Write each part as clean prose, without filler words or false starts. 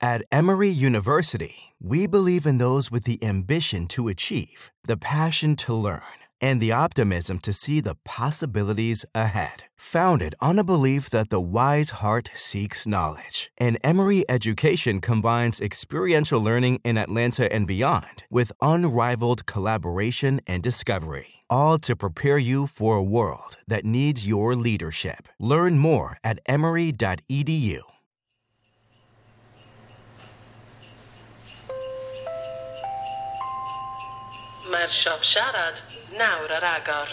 At Emory University, we believe in those with the ambition to achieve, the passion to learn, and the optimism to see the possibilities ahead. Founded on a belief that the wise heart seeks knowledge, an Emory education combines experiential learning in Atlanta and beyond with unrivaled collaboration and discovery, all to prepare you for a world that needs your leadership. Learn more at emory.edu. Mae'r siop siarad nawr ar agor.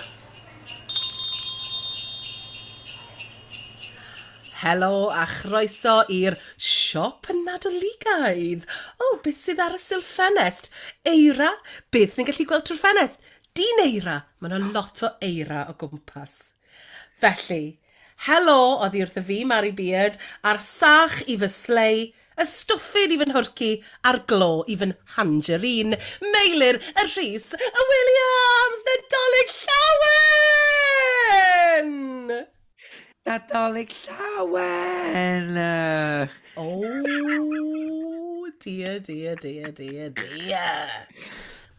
Helo a chroeso i'r siop Nadoligaidd. O, beth sydd ar y silff ffenest? Eira? Beth ni'n gallu gweld trwy'r ffenest? Dyn eira. Mae yna lot o eira o gwmpas. Felly, helo oddi wrtho fi, Mari Beard, a'r sach i fy slei, y stwffin i fy nhwrci, a'r glo i fy nhangerine, Meilir, y Rhys, y Williams, Nadolig Llawen! Nadolig Llawen! Oh, dear, dear, dear, dear, dear.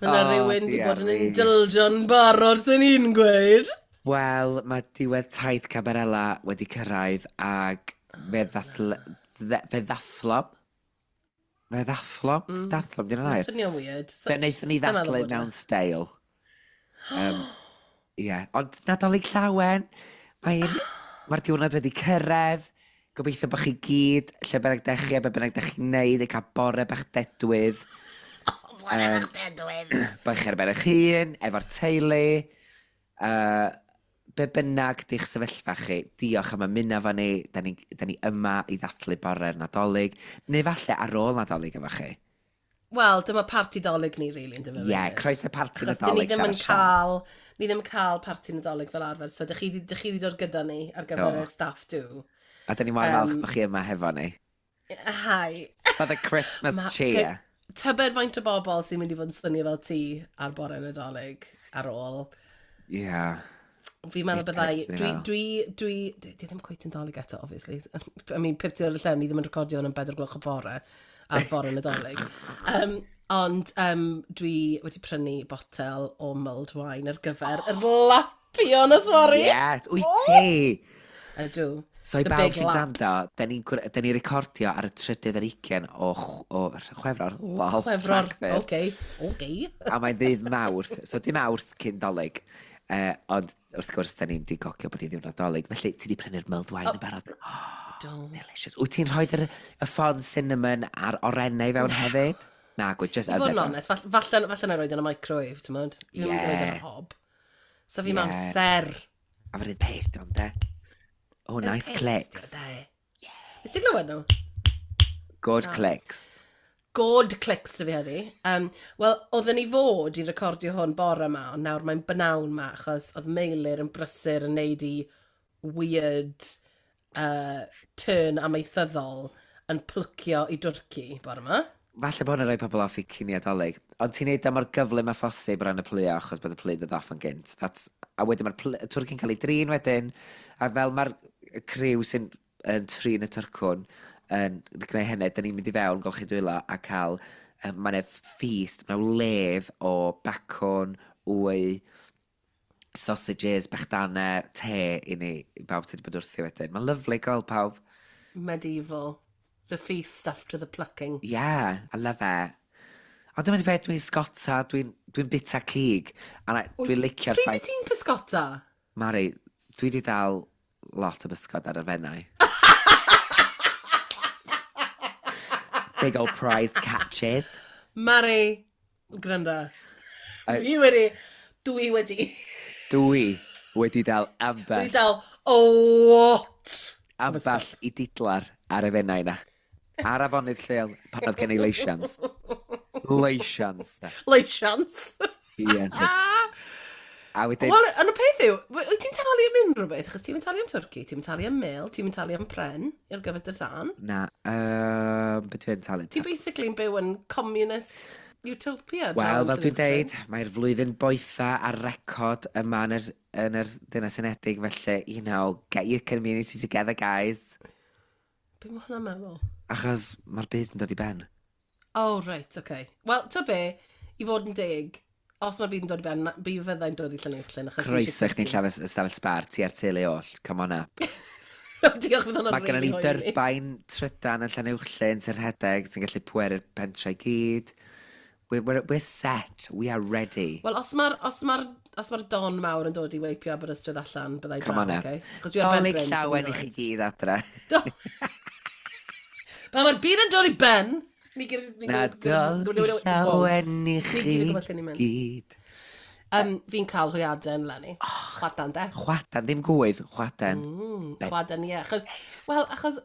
Mae yna Oh, rhywun wedi dear bod yn me. indulgio'n barod sy'n un gweud. Wel, mae diwedd taith Cabarella wedi cyrraedd ac fe ddathl... Fe ddathlom? Fe ddathlom? Dathlom, di'n air? Swnio'n weird. Fe wnaethon ni Sa'n meddwl ddathlu bod e. mewn steil. Ie, ond Nadolig Llawen, mae'n... Mae'r diwrnod wedi cyrraedd. Gobeithio bod chi gyd, lle bynnag dech chi a be bynnag dech chi'n neud, yn cael bore bach dedwydd. Bore bach dedwydd. Bod chi ar ben eich hun, efo'r teulu. Be bynnag di'ch sefyllfa chi, diolch am ymuno efo ni. Da ni yma i ddathlu bore'r Nadolig. Neu falle ar ôl Nadolig efo chi. Wel, dyma parti Dolig ni, really, yn dyfa. Ie, yeah, croeso parti Achos dyn ni Nadolig ddim yn siarad siarad. cael, ni ddim yn cael parti Nadolig fel arfer, so dych chi, dych chi 'di dod gyda ni ar gyfer Do. y staff do. A da ni mor falch bod chi yma hefo ni. Hi. For the Christmas Ma- cheer. Tybed faint o bobl sy'n mynd i fod yn swnio fel ti ar bore Nadolig ar ôl. Ie. Yeah. Fi'n meddwl byddai... Dickheads, Dwi, ni'n dwi, dwi, di ddim cweit yn Dolig eto, obviously. I mean, pip ti ar y llew, ni ddim yn recordio hwn am 4 gloch o bore ar fore Nadolig. Ond dwi wedi prynu botel o mulled wine ar gyfer yr lapio nos fory. Yes, wyt ti? Ydw. So i The bawb big sy'n lap. gwrando, da ni'n da ni recordio ar y trydydd ar ugain o Chwefror. Lol, Chwefror. Rhagfyr. Oce. Oce. A mae'n ddydd Mawrth, so dim Mawrth cyn Dolig. Ond wrth gwrs, da ni'n di gogio bod hi ddiwrnod Dolig. Felly, ti di prynu'r mulled wine yn barod. Oh, Do. delicious. Wyt ti'n rhoi y ffon cinnamon a'r orennau fewn hefyd? Na, gwyd, just I fod yfed yn o. onest, falle na roed yn y microwave, ti'n modd? Fi ddim yn roed yn Ie. y hob. So fi'n Ie. amser. A mae'r un peth, dwi'n de. Oh, nice clicks. Nes ti glywed nhw? Good clicks. God clicks dy fi heddi. Wel, oedden ni fod i recordio hwn bore yma, ond nawr mae'n bynawn ma, achos oedd Meilir yn brysur yn neud i weird turn amaethyddol yn plwcio i dwrci bore yma. Falle bod hwnna'n rhoi pobl off i cinio Dolig. Ond ti'n neud o mor gyflym a phosib o ran y plio, achos bod y plu dod off yn gynt. That's, a wedyn mae'r twrci'n cael ei drin wedyn, a fel mae'r criw sy'n yn trin y tyrcwn yn gwneud hynny, da ni'n mynd i fewn, golchi dwylo, a cael, mae'n feast, mae'n wledd o bacwn, wy, sausages, bechdanau, te i ni, i bawb sydd wedi bod wrthi wedyn. Mae'n lyfli gweld pawb. Medieval. The feast after the plucking. Yeah, I love it. Ond dyma di peth, dwi'n sgota, dwi'n dwi bita cig, a dwi'n licio'r Pryd ffaith... wyt ti'n pysgota? Mari, dwi di dal lot o bysgod ar y fennau. Big old prize catches. Mari, gwrando. Dwi wedi, Dwi wedi dal ambell, wedi dal a lot o ambell bysgod. i didlar ar y fennau na. Ar afonydd lleol, pan oedd gen i leisians. Leisians. Leisians. Ie. A wedyn, Wel, yn y peth yw, wyt ti'n talu am unrhyw beth? Achos ti'n talu am twrci, ti'n talu am mel, ti'n talu am pren i'r gyfer dy tân. Na, beth dwi'n talu? Ti basically yn byw yn communist utopia. Wel, draw yn fel dwi'n Llanelli. deud, mae'r flwyddyn boetha ar record yma yn yr Deyrnas Unedig, felly, you know, get your community together, guys. Be mae hwnna'n meddwl? Achos mae'r byd yn dod i ben. Oh, right, okay. Wel, to be, i fod yn deg, os mae'r byd yn dod i ben, bi fyddai'n dod i Llanuwchllyn. Croeso i chdi'n llafell ystafell sbar, ti a'r teulu oll. Come on up. Diolch, fydd hwnna'n Mae gennym ni dyrbain trydan yn Llanuwchllyn sy'n rhedeg, sy'n gallu pweru'r pentre i gyd. We're set. We are ready. Wel, os mae'r os ma os ma don mawr yn dod i weipio Aberystwyth allan, byddai draw, okay? Dolig llawen i chi gyd adre. Pan mae'r byd yn dod i ben, Nadolig llawen i chi gyd. Fi'n cael hwyaden, Lenny. Oh, chwadan, de. Chwadan, ddim gwydd, chwadan. Chwadan, ie. Achos, wel, achos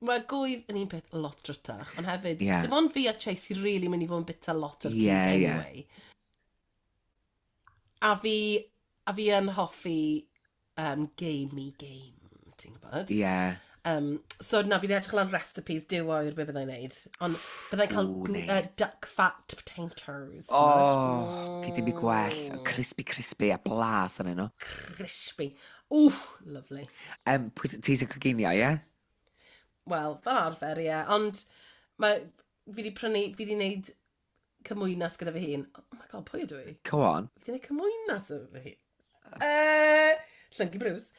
mae gwydd yn un peth lot drytach, ond hefyd, yeah. Dim ond fi a Chase sy'n really mynd i fod yn bita lot o'r yeah, cig anyway. Yeah. A fi yn hoffi gamey game, ti'n gwybod? Yeah. So na, fi'n edrych lan recipes, duw oer be byddai'n neud. Ond byddai'n cael Ooh, nice. Duck fat potatoes. Oh, gyd dim i gwell. Crispy, crispy a blas yn nhw. Crispy. Ooh, lovely. Ti sy'n coginio, ie? Yeah? Wel, fel arfer, ie. Yeah. Ond mae, fi di prynu, fi di wneud cymwynas gyda fy hun. Oh my god, pwy ydw i? Go on. Fi di wneud cymwynas efo fy hun. Llyncu Bruce.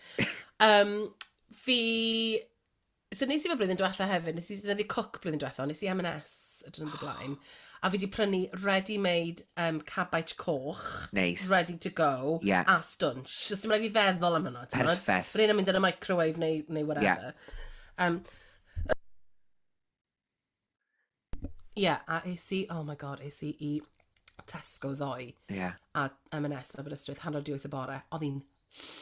Fi... So nes i fe blwyddyn diwetha hefyd, nes i ddefnyddio cook blwyddyn diwetha, nes i M&S y dyn blaen, a fi di prynu ready-made cabbage coch. Nice. Ready to go. Yeah. A stwnsh. So dim rhaid fi feddwl am hwnna. Perffaith. Mae'n mynd yn y microwave neu whatever. Yeah. Yeah, a es i, oh my god, es i i Tesco ddoe. Yeah. A M&S yn Aberystwyth, 7:30 y bore, oedd hi'n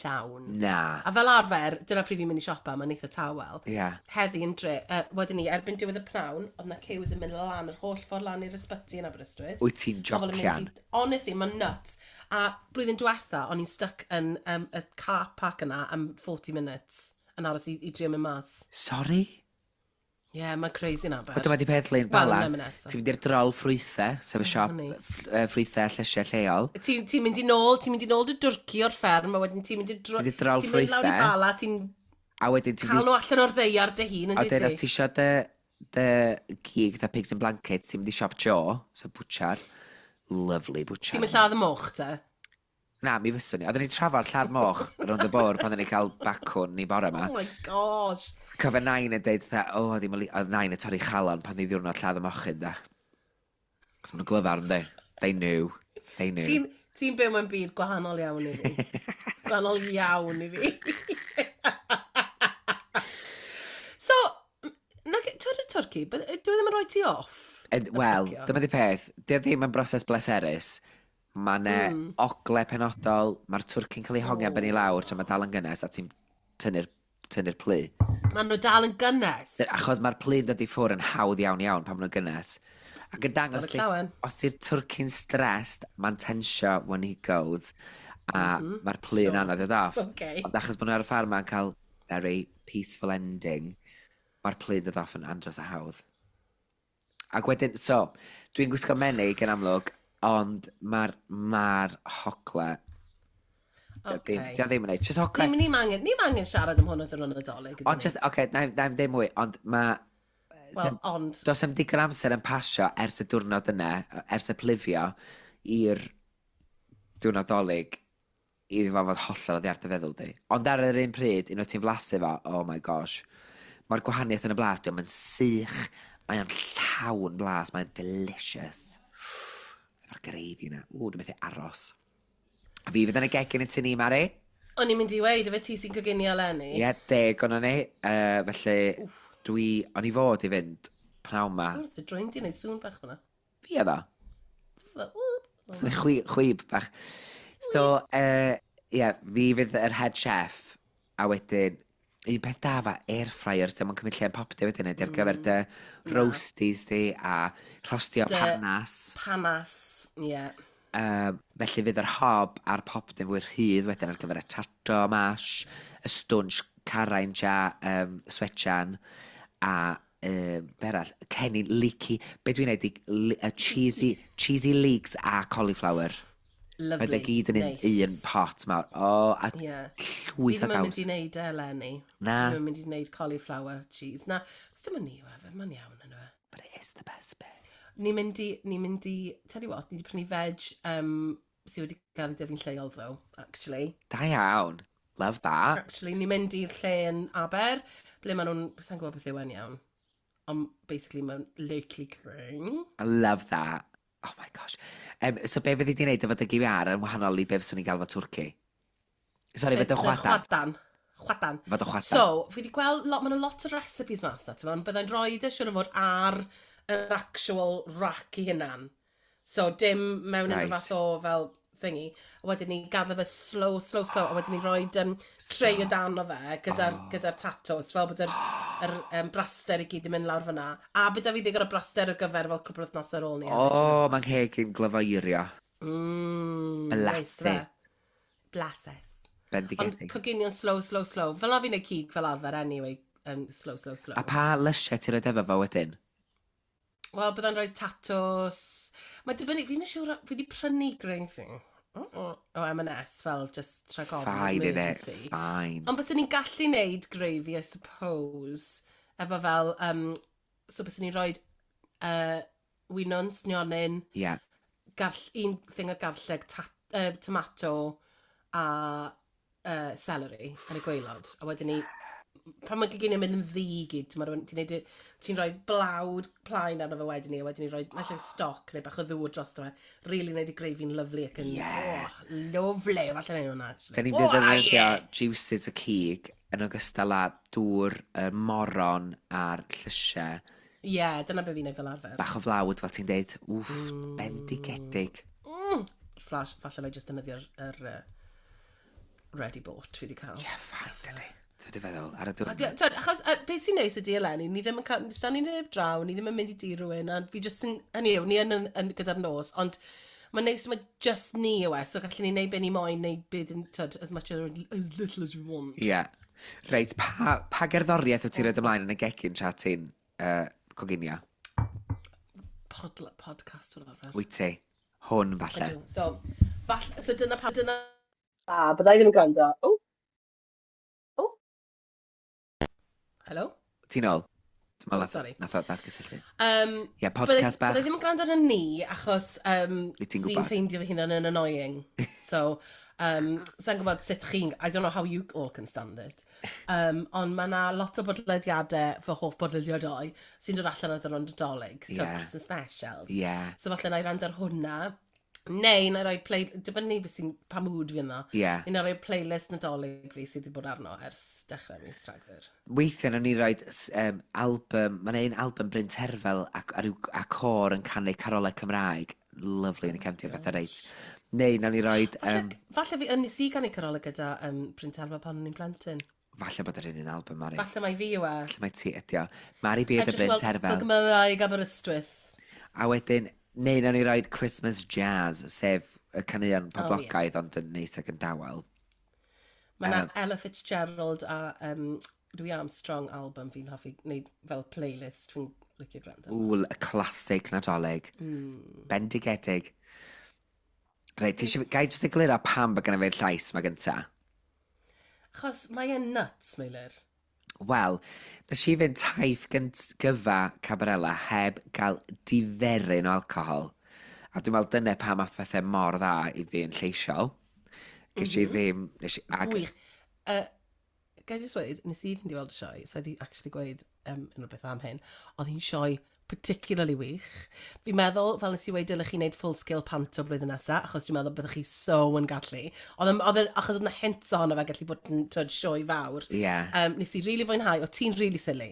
llawn. Na. A fel arfer, dyna pryd fi'n mynd i siopa, mae'n eitha tawel. Yeah. Heddi yn dre, wedyn ni, erbyn diwedd y pnawn, oedd na queues yn mynd lan yr holl ffordd lan i'r ysbyty yn Aberystwyth. Wyt ti'n jocian? Honestly, mae'n nuts. A blwyddyn diwetha, o'n i'n stuck yn y car park yna am 40 minutes yn aros i drio mynd mas. Sorry? Ie, yeah, mae'n crazy na, ber. Dyma di peth lein bala. Ti'n mynd i'r drol ffrwythau, sef y siop ffrwythau llysiau lleol. Ti'n mynd i nôl, ti'n mynd i nôl dy dwrci o'r fferm, a wedyn ti'n mynd i drol ffrwythau. Ti'n mynd lawr i bala, ti'n a wedyn ti'n cael nhw allan o'r ddeiar dy hun, yn dwi ti? A wedyn, os ti isio dy gig, the pigs and blankets, ti'n mynd i siop Joe, so butcher. Lovely butcher. Ti'n mynd lladd y moch, te? Na, mi fyswn ni. Oedden ni'n trafod lladd moch rownd y bwr pan oedden ni'n cael bacwn ni bore yma. Oh my gosh. Cofio nain yn deud, oedd nain yn torri chalon pan ddi ddiwrnod lladd y mochyn, da. Cos maen nhw'n glyfar, ynddi? They knew. They knew. Ti'n byw mewn byd gwahanol iawn i fi. Gwahanol iawn i fi. So, ti'n twrci, dwi ddim yn rhoi ti off? Wel, dyma di peth. Di ddim yn broses bleserus. Mae ne ogle penodol, mae'r twrci'n cael ei hongian ben i lawr tra mae dal yn gynnes a ti'n tynnu'r plu. Maen nhw dal yn gynnes? Achos mae'r plu'n dod i ffwrdd yn hawdd iawn iawn pan maen nhw'n gynnes. Ac yn dangos, os ti'r twrci'n stressed, mae'n tensio when he goes, a mae'r plu'n anodd i off. Okay. Ond achos bod nhw ar y ffarm ma'n cael very peaceful ending, mae'r plu'n dod off yn andros a hawdd. Ac wedyn, so, dwi'n gwisgo menig yn amlwg, ond mae'r ma hogle... Okay. Di ddim yn neud. Just hogle... Ni'n angen siarad am hwn wrth yr Nadolig. Ond just, oce, okay, na i'm deud mwy, ond mae... Well, ond... Does am digon amser yn pasio ers y diwrnod yna, ers y plifio, i'r diwrnod Dolig, i fo fod hollol oddi ar dy feddwl di. Ond ar yr un pryd, unwaith ti'n flasu fo, oh my gosh, mae'r gwahaniaeth yn y blas, diolch yn sych, mae'n llawn blas, mae'n delicious. Efo'r greifi yna. Ww, dwi'n methu aros. A fi fydd yn y gegin yn tŷ ni, Mari. O'n i'n mynd i weid, efe ti sy'n coginio eleni? Ie, yeah, 10 o'n ni. Felly, o'n i fod i fynd pnawn ma. Wrth y drwy'n di wneud sŵn bach hwnna. Fi oedd o. Chwib bach. So, ie, fi fydd yr head chef, a wedyn, un peth da fa, air fryers, dim ond cymryd lle yn popty wedyn, ydy ar gyfer dy roasties di a rhostio panas. Panas, ie. Yeah. Felly fydd yr hob a'r popty'n fwy rhydd wedyn ar gyfer y tato mash, y stwnsh carain a swetchan, a berall, cennin leaky, be dwi'n neud, y cheesy leeks a cauliflower. Lovely. Mae gyd yn un, Nice. un pot mawr. O, oh, a Fi llwyth o ddim yn mynd gaws. i wneud e eleni. Na. Fi ddim yn mynd i wneud cauliflower cheese. Na, os dim ond ni yw e, mae'n iawn yn e. But it is the best bit. Ni'n mynd i, tell you what, ni wedi prynu veg sydd wedi cael ei dyfu'n lleol though, actually. Da iawn. Love that. Actually, ni'n mynd i'r lle yn Aber, ble maen nhw'n, sa'n gwybod beth yw e'n iawn. Ond basically mae'n locally grown. I love that. Oh my gosh. So be fyddi di'n neud efo dy gywiar yn wahanol i be fyswn i'n gael efo twrci? Sorry, fod yn chwadan. Chwadan. Chwadan. Fod yn chwadan. So, fi wedi gweld, lot, mae'n lot o recipes mas na, ti'n byddai'n rhoi e siŵr o fod ar yr actual rack i hunan. So, dim mewn unrhyw fath o fel thingy. A wedyn ni gaddo fe slow, slow, slow. A wedyn ni rhoi tray o dan o fe gyda'r oh. gyda tatos, fel bod yr braster i gyd yn mynd lawr fyna. A byda fi ddigon o braster ar gyfer fel cwpl o wythnosau ar ôl ni. O, oh, mae'n ngheg i'n glyfoeirio. Neis, Blasus. fe. Blasus. Ond Bendigedig. coginio'n slow, slow, slow. Fel na fi'n neud cig fel arfer anyway. Slow, slow, slow. A pa lysiau ti'n rhoi efo fo wedyn? Wel, byddai'n rhoi tatws. Mae dibynnu, fi'n siŵr, fi wedi prynu gravy o M&S fel just rhag ofn Fine, innit? emergency. Fine. Ond byswn ni'n gallu neud gravy, I suppose, efo fel, so byswn ni'n rhoi winwns, nionyn, un thing o garlleg, tomato a celery yn y gwaelod. A wedyn ni, pan mae goginio mynd yn ddu i gyd, ti'n ti'n rhoi blawd plaen arno fe wedyn ni, a wedyn ni rhoi falle stoc neu bach o ddŵr drosto fe. Really neud y gravy'n lovely ac yn, oh, lovely. Falle neud hwnna, actually. Da ni'n Oh, defnyddio yeah. juices y cig yn ogystal â dŵr, y moron a'r llysiau. Ie, yeah, dyna be fi'n neud fel arfer. Bach o flawd, fel ti'n deud. Wff, bendigedig. Slash, falle na i just defnyddio'r ready bought fi wedi cael. Yeah, fine, dydy. Ti'n dy feddwl, ar y A dŵr. Twyd, achos beth sy'n neis ydy eleni, ni ddim yn cael, sdan ni neb draw, ni ddim yn mynd i dŷ rhywun, a fi just yn, hynny yw, ni yn gyda'r nos, ond mae'n neis, mae just ni yw e, so gallwn ni neud be ni moyn, neu beth yn, twyd, as much or as little as we want. Ie. Yeah. Reit, pa gerddoriaeth wyt ti'n rhoi ymlaen yn y gegin tra ti'n coginio? Podcast fel arfer. Wyt ti? Hwn, falle. Ydw. So, falle, so dyna pa, dyna... A, byddai ddim yn gwrando. O! O! Hello? Ti'n ôl? Dwi'n meddwl Oh, sorry. nath o ddatgysylltu. Ie, podcast bach. Byddai ddim yn gwrando arno ni, achos Wyt ti'n fi'n gwbod. ffeindio fy hunan yn annoying. So, sa'n gwybod sut chi'n... I don't know how you all can stand it. Ond mae yna lot o bodlediadau, fy hoff bodlediadau, sy'n dod allan ar ddwrnod Nadolig. So, Christmas specials. So falle na i rando ar hwnna. Neu na i roi play... Dibynnu beth sy'n pa mood fi ynddo. Neu na i roi playlist Nadolig fi sydd wedi bod arno ers dechrau mis Rhagfyr. Weithiau nawn ni roi album, mae'n un album Bryn Terfel a côr yn canu carolau Cymraeg. Lovely yn y cefndir fatha reit. Neu nawn ni roi, Falle, falle fi, nes i ganu carolau gyda Bryn Terfel pan o'n i'n plentyn. Falle bod yr un album, Mari. Falle mai fi yw e. Falle mai ti ydi o. Mari B a Edrych Bryn weld Terfel. Sgol Gymraeg Aberystwyth. A wedyn, neu nawn ni roi Christmas Jazz, sef y caneuon poblogaidd ond yn neis ac yn dawel. Mae yna Ella Fitzgerald a Louis Armstrong album fi'n hoffi wneud fel playlist fi'n licio gwrando. Ww, y classic Nadolig. Bendigedig. Reit, ti eisiau... Gai jyst egluro pam bod gynna fi'r llais ma gynta? Achos mae e'n nuts, Meilir. Wel, nes i fynd taith gyfa Cabarella heb gael diferyn o alcohol. A dwi'n meddwl dyna pam ath pethau mor dda i fi yn lleisiol. Ges i ddim... Nes i, ag, Gwych. Gai jyst weud, nes i fynd i weld y sioe, so i actually gweud unrhyw beth am hyn, oedd hi'n sioe particularly wych. Fi'n meddwl, fel nes i weud, dylech chi wneud full scale panto blwyddyn nesaf, achos dwi'n meddwl byddwch chi so yn gallu. Achos oedd yna hints ohono fe gallu bod yn twyd, sioe fawr. Nes i really fwynhau, o ti'n really silly.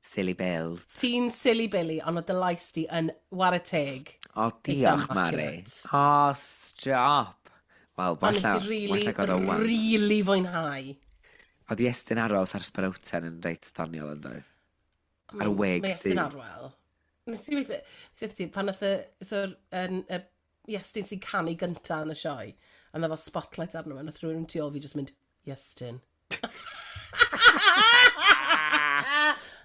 Silly Bills. Ti'n silly Billy, ond oedd dy lais di yn ware teg. O, diolch, Mari. Immaculate. O, stop. Wel, Ond nes wella, i really, wella god o wan. really fwynhau. Oedd Iestyn Arwel ar Sparowten yn reit ddoniol yn doedd? Ar y wig Mae Iestyn du. Arwel. Nes i weithio, nes i weithio ti, pan nath y, so, y Iestyn sy'n canu gynta yn y sioe, a na fel spotlight arno fe, nath rhywun tu ôl fi just mynd, "Iestyn."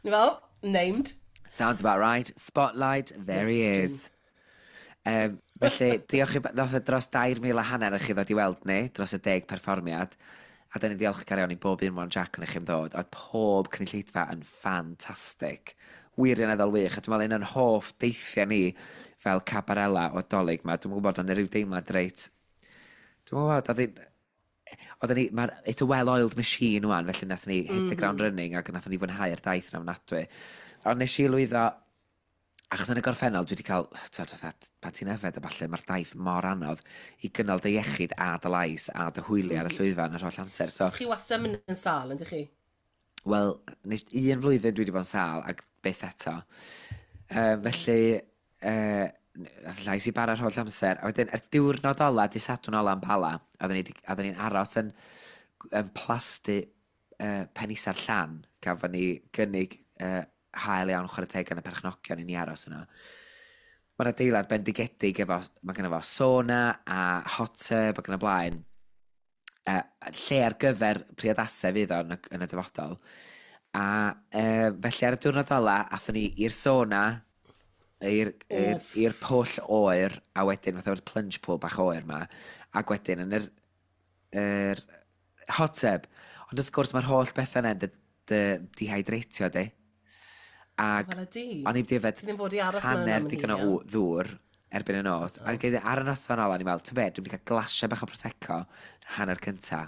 Ni fel, named. Sounds about right. Spotlight, there he Iestyn. is. Felly, diolch i... Nath o dros 2,500 i chi ddod i weld ni, dros y 10 perfformiad. A da ni'n ddiolchgar iawn i bob un one Jack yn eich am ddod. Oedd pob cynulleidfa yn ffantastig. Wirioneddol wych. A dwi'n meddwl un o'n hoff deithiau ni fel cabarela o Dolig ma. Dwi'n gwybod o'n rhyw deimlad reit... Dwi'n gwybod, oedd hi'n... Oedden ni, it's a well-oiled machine wan, felly nathon ni hit the ground running ac nathon ni fwynhau'r daith yn ofnadwy. Ond nes i lwyddo, achos yn y gorffennol dwi wedi cael, twyd, fatha, pan ti'n yfed a falle, mae'r daith mor anodd i gynnal dy iechyd a dy lais a dy hwyliau ar y llwyfan yr holl amser. So, Chi wastad yn mynd yn sâl, yndych chi? Wel, nes, un flwyddyn dwi wedi bod yn sâl ac byth eto. Felly, nath llais i bara'r holl amser. A wedyn, y diwrnod ola, di Sadwrn ola yn Bala, oedden ni'n aros yn plasty Penisa'r Llan, gafon ni gynnig hael iawn chwarae teg gan y perchnogion i ni aros yno. Mae'n adeilad bendigedig efo, mae gynno fo sauna a hot tub ac yn y blaen. Lle ar gyfer priodasau fydd o yn y dyfodol. A felly ar y diwrnod ola, athon ni i'r sauna, i'r pwll oer, a wedyn fatha o'r plunge pool bach oer ma, ac wedyn yn yr hot tub. Ond wrth gwrs mae'r holl bethau yna'n dy dehydratio di. Ac Wel, ydi. o'n i wedi yfed Ti ddim fod i aros mewn hanner am yn digon o hir, iawn. ddŵr erbyn y nos. A gyda ar y noson ola, o'n i'n meddwl, ti'n be, dwi'n mynd i cael glasiau bach o Prosecco hanner cynta.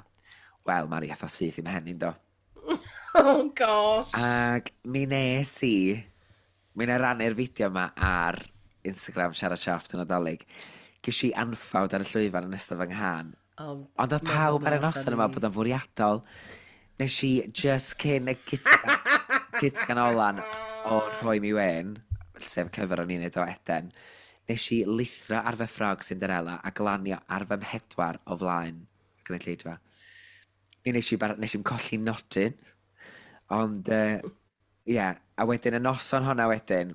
Wel, Mari, ath o syth i'm mhen i'n do. Oh, gosh. Ac mi nes i, mi na rannu'r fideo yma ar Instagram Siarad Siop yn Nadolig. Ges i anffawd ar y llwyfan yn ystod fy nghân. Oh, Ond oedd pawb ar y noson yma funny. bod o'n fwriadol. Nes i just cyn y gytgan olan o Rhoi Mi Wen, sef cyfer o'n i'n neud o Eden, nes i lithro ar fy ffrog Cinderella a glanio ar fy mhedwar o flaen y gynulleidfa. Mi nes i, nes i'm colli nodyn, ond ie, yeah. A wedyn y noson honna wedyn,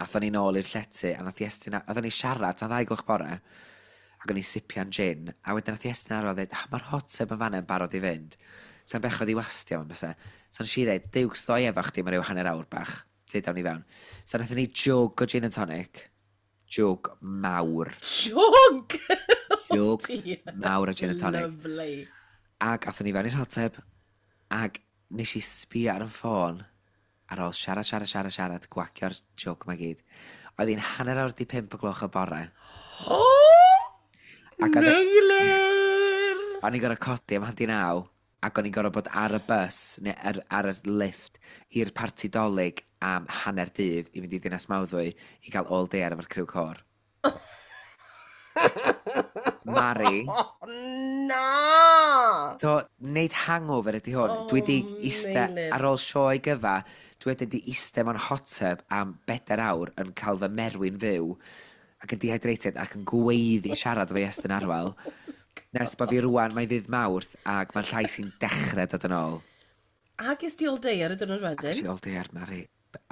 athon ni nôl i'r llety, a nath Iestyn, oedden ni siarad tan 2 gloch bore, ac o'n i sipian gin, a wedyn nath Iestyn Arwel dweud, ah, mae'r hot tub yn fanna yn barod i fynd. Sa'n bechod i wastio fo'n bysa. So nes i dweud, diwcs ddoi efo chdi, mae rhyw hanner awr bach. Ti dawn ni fewn. So nathon ni jug o gin and tonic. Jug mawr. Jug! Jug Dear. mawr o gin and tonic. Lovely. Ac athon ni fewn i'r hot tub, ac nes i sbio ar y ffôn ar ôl siarad, siarad, siarad, siarad, gwacio'r jug ma gyd. Oedd hi'n 4:30 o gloch y bore. Oh! Ac Meilir! O'n i'n gorfod codi am 8:30, ac o'n i'n gorfod bod ar y bus, neu ar y lift, i'r parti Dolig am hanner dydd i fynd i Ddinas Mawddwy i gael all day ar efo'r criw côr. Mari. Oh, na! So, neud hangover ydy hwn. Oh, Dwi wedi iste, Meilir. ar ôl sioe gyfa, dwi wedi di iste mewn hot tub am 4 awr yn cael fy merwi'n fyw ac yn dehydrated ac yn gweiddi siarad efo Iestyn Arwel. Nes bod fi rwan, mae ddydd Mawrth ac mae'n llais i'n dechrau dod yn ôl. A ges di all day ar y diwrnod Ac wedyn? i all day ar Mari.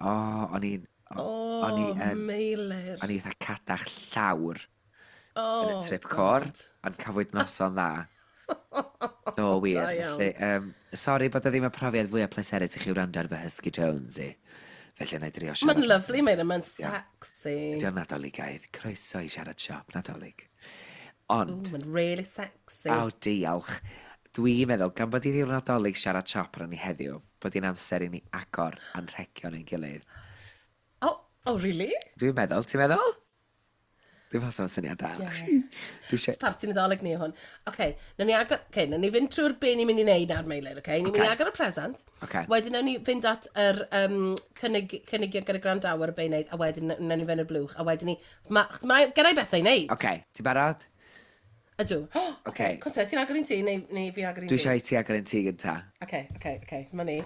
O, o'n i'n... Oh, O'n i yn... Meilir. O'n i fatha cadach llawr Oh, yn y trip côr, God. ond cafwyd noson dda. Do, wir. Da iawn. Felly, sori bod o ddim y profiad fwyaf pleserus i chi wrando ar fy husky tones i. Felly, na i drio siarad. Mae'n lovely, Meilir. Mae'n sexy. Ydy o'n Nadoligaidd. Croeso i Siarad Siop Nadolig. Ond, Ooh, mae'n really sexy. aw, diolch. Dwi'n meddwl, gan bod i ddiwrnod Nadolig Siarad Siop arnon ni heddiw, bod hi'n amser i ni agor anrhegion ein gilydd. Oh, really? Dwi'n meddwl, ti'n meddwl? Dwi'n meddwl sef syniad da. Ie. Dwi eisiau... Parti Nadolig ni yw hwn. Oce, nawn ni agor... Okay, nawn ni fynd trwy'r be ni'n mynd i wneud nawr, Meilir, oce? Ni'n mynd i Ocê. agor y present. Ocê. Wedyn nawn ni fynd at yr cynigion gyda gwrandawyr y be i wneud, a wedyn nawn ni fynd i'r blwch, a wedyn ni... Mae ma, gen i bethau i wneud. Oce, ti'n barod? Ydw. Ocê. Conte, ti'n agor un ti, neu fi agor un Dwi fi? eisiau i ti agor un ti gynta. Oce, dyma ni.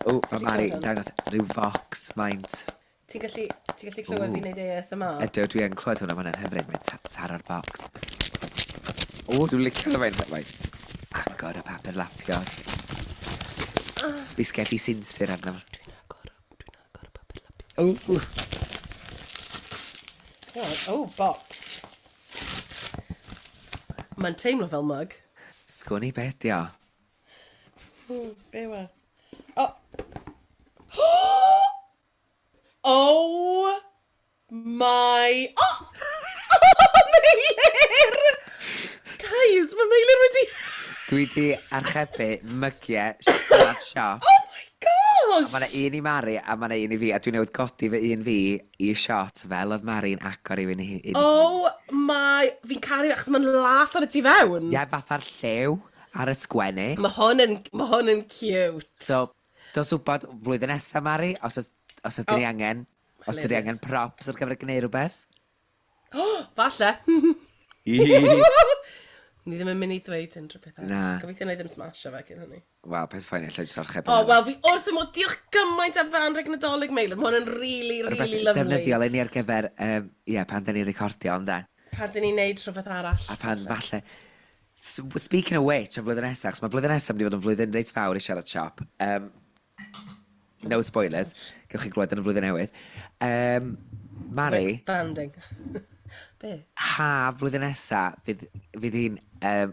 O, mae 'di Mari clywed yn hwn? dangos rhyw fox maint. Ti'n gallu clywed fi wneud ASMR? Ydw, dwi yn clywed hwnna, mae hwnna'n hyfryd, mae'n taro'r box. O, dwi'n licio hwnna, mae'n agor y papur lapio. Bisgedi sinsir arno. Dwi'n agor y papur lapio. O, Oh, box. Mae'n teimlo fel mug. Sgwn i beth di o. Be yw e? Oh. Oh my my... Oh! Oh, Meilir! Guys, mae Meilir wedi... Dwi di archebu mygiau siarad siop. Oh my gosh! Mae yna un i Mari a mae yna un i fi, a dwi'n newydd godi fy un fi i shot fel oedd Mari'n agor i fi. Oh my... Fi'n caru achos mae'n las ar y tu fewn. Ie, fatha'r llew ar y sgwennu. Mae hwn yn cute. So, dos wybod flwyddyn nesaf, Mari, os ydyn ni angen, os ydyn ni angen props ar gyfer gwneud rhywbeth. Oh, falle. Ni ddim yn mynd i ddweud unrhyw beth arall. Na. Gobeithio na i ddim smasho fe cyn hynny. Wel, peth ffain, allai jyst archebu. O, oh, wel, fi wrth fy modd, diolch gymaint am fy anrheg Nadolig, Meilir. Mae hwn yn really, really lovely. Defnyddiol i ni ar gyfer, ie, pan dyn ni'n recordio, ond e. Pan dyn ni'n neud rhywbeth arall. A pan, falle... Speaking of which, am flwyddyn nesaf, achos mae blwyddyn nesaf mynd i fod yn flwyddyn reit fawr i siarad siop. No spoilers, gewch chi glywed yn y flwyddyn newydd. Mari... Expanding. Be? Ha, flwyddyn nesaf, fydd hi'n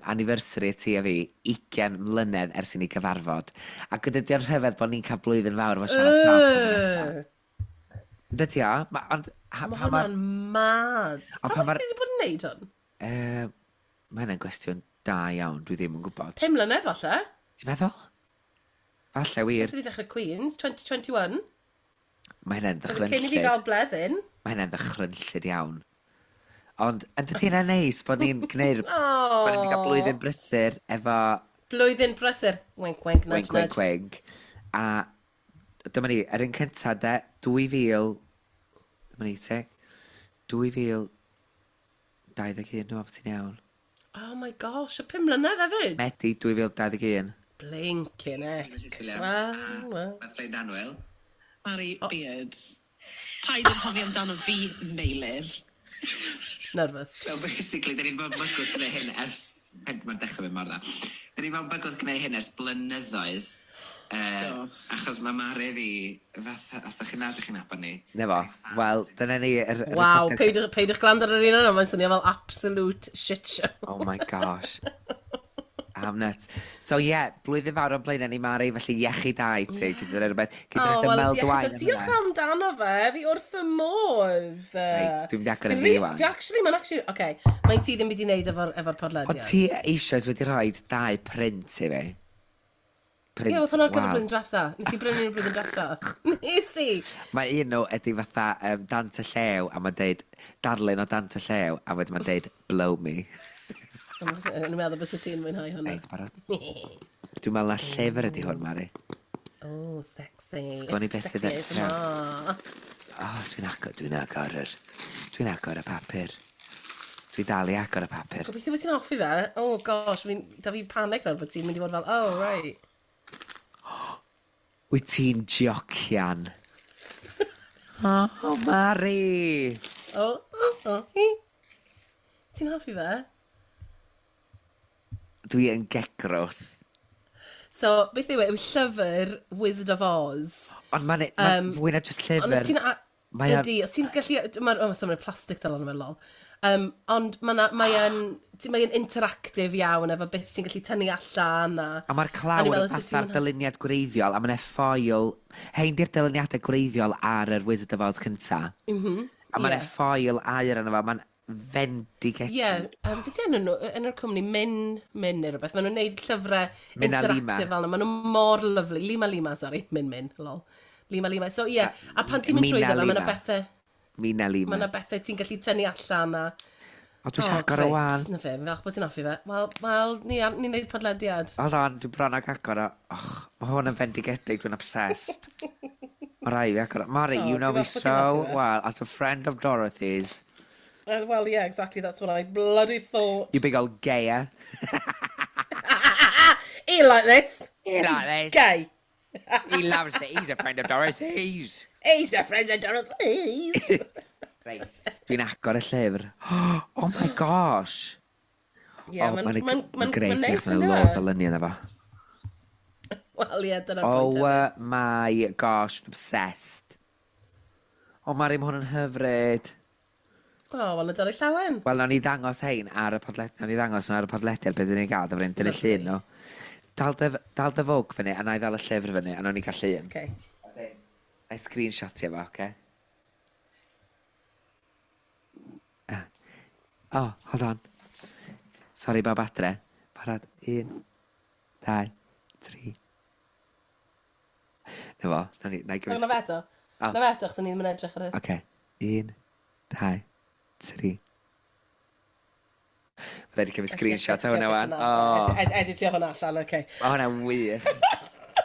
anniversary ti a fi, 20 mlynedd ers i ni gyfarfod. Ac ydy o'n rhyfedd bod ni'n cael blwyddyn fawr efo siarad siop flwyddyn nesaf. Dydy o? Mae hwnna'n mad. Pa mor wedi bod yn neud hwn? Mae hynna'n gwestiwn da iawn, dwi ddim yn gwybod. 5 mlynedd falle? Ti'n meddwl? Falle wir. Ers i ni ddechrau Queens, 2021. Mae hynna'n ddychrynllyd. Cyn i fi gael bleddyn. Mae hynna'n ddychrynllyd iawn. Ond, yn dydy hynna'n neis bod ni'n gwneud... Oh. Bod ni'n cael blwyddyn brysur efo... Blwyddyn brysur. Wink, wink, nudge, wink, wink, wink. A dyma ni, yr un cyntaf de, 2000... Dyma ni, te? 2021, dwi'n meddwl ti'n iawn. Oh my gosh, y 5 mlynedd hefyd? Medi 2021. Blinking heck. Wel, wel. Mae ffrind annwyl. Mari Beard. Paid yn hoffi amdano fi, Meilir. Nervous. So basically, dyn ni'n bod bygwth gwneud hyn ers... Mae'n dechrau mynd mor dda. Dyn ni'n bod bygwth gwneud hyn ers blynyddoedd. Do. Achos mae Mari fi, fatha, os da chi'n nad chi'n nabod ni. Na fo, wel, dyna ni... Waw, peidiwch gwrando ar yr un yna, mae'n swnio fel absolute shit show. Oh my gosh. I'm nuts. So ie, yeah, blwyddyn fawr o'n blaenau ni, Mari, felly iechyd da i ti, gyda rhywbeth. Gyda oh, well, dwain. Diolch amdano fe, fi wrth fy modd. Reit, dwi'n mynd i agor yn fi wan. Fi actually, mae'n actually, oce, okay, mae'n ti ddim wedi wneud efo'r podlediad. O ti eisoes wedi rhoi 2 print i fi? Print, ie, oedd hwnna ar gyfer blwyddyn diwetha. Nes i brynu nhw blwyddyn diwetha. Nes i! Mae un nhw ydy fatha Dant y Llew, a mae'n deud darlun o Dant y Llew, a wedyn mae'n deud blow me. Yn meddwl bys ti'n mwynhau hwnna. Reit, barod. Dwi'n meddwl na llyfr ydy hwn, Mari. Oh, sexy. Sgwn i beth sydd yn... Oh, dwi'n agor y papur. Dwi'n dal i agor y papur. Gobeithio bod ti'n hoffi fe. Oh gosh, da fi panic nawr bod ti'n mynd i fod fel, oh, right. Wyt ti'n jocian? Oh, Mari! Oh, oh, oh. Ti'n hoffi fe? Dwi yn gegrwth. So, beth yw e? Yw llyfr Wizard of Oz. Ond mae'n fwy na just llyfr. Ond os ti'n... Ydy, os ti'n gallu... Mae'n plastic dal arno fe, lol. Ond mae'n interactive iawn efo beth ti'n gallu tynnu allan. A mae'r clawr yn fatha'r dyluniad gwreiddiol, a mae'n ffoil... Hein di'r dyluniadau gwreiddiol ar yr Wizard of Oz cynta. A mae'n ffoil aur arno fo, mae'n fendigedig. Ie, beth yw enw nhw? Enw'r cwmni Min neu rhywbeth. Maen nhw'n neud llyfrau interactive fel yna. Maen nhw mor lovely. Lima Lima, sorry. Min Min, lol. Lima Lima. So ie, a pan ti'n mynd trwyddo fe, mae yna bethau... Mina Lima. Mae yna bethau ti'n gallu tynnu allan a... O, dwi eisiau agor o wan. Na fe, fi'n falch bod ti'n hoffi fe. Wel, ni'n neud podlediad. Hold on, dwi'n bron ag agor o. Och, mae hwn yn fendigedig, dwi'n obsessed. Mae rai fi agor o. Mari, you know me so well, as a friend of Dorothy's. Well, yeah, exactly, that's what I bloody thought. You big old gayer. He like this. He like this. Gay. He loves it. He's a friend of Dorothy's. He's a friend of Dorothy's. Reit, dwi'n agor y llyfr. Oh my gosh. Yeah, oh, mae'n greit, mae'n lot o luniau na fo. Wel, ie, dyna'r pwynt. Oh my gosh, obsessed. Oh, Mari, mae hwn yn hyfryd. O, oh, wel, Nadolig llawen. Wel, nawn ni ddangos hein ar y podlediad, nawn ni ddangos nhw ar y podlediad beth ni'n gael, dyma ni'n dynnu llun nhw. Dal dy fwg fyny, a na i ddal y llyfr fyny, a nawn ni gael llun. Okay. Na i screenshotio fo, oce? Oh, hold on. Sorry, bawb adre. Parad. 1, 2, 3. Na fo, na ni, na i Na fe eto. Oh. Na fe eto, achos o'n i ddim yn edrych ar y. Oce. 1, 2, 3. Mae rhaid i cymryd screenshot o hwnna wan. Oh, Editio hwnna allan, oce. mae hwnna'n wych.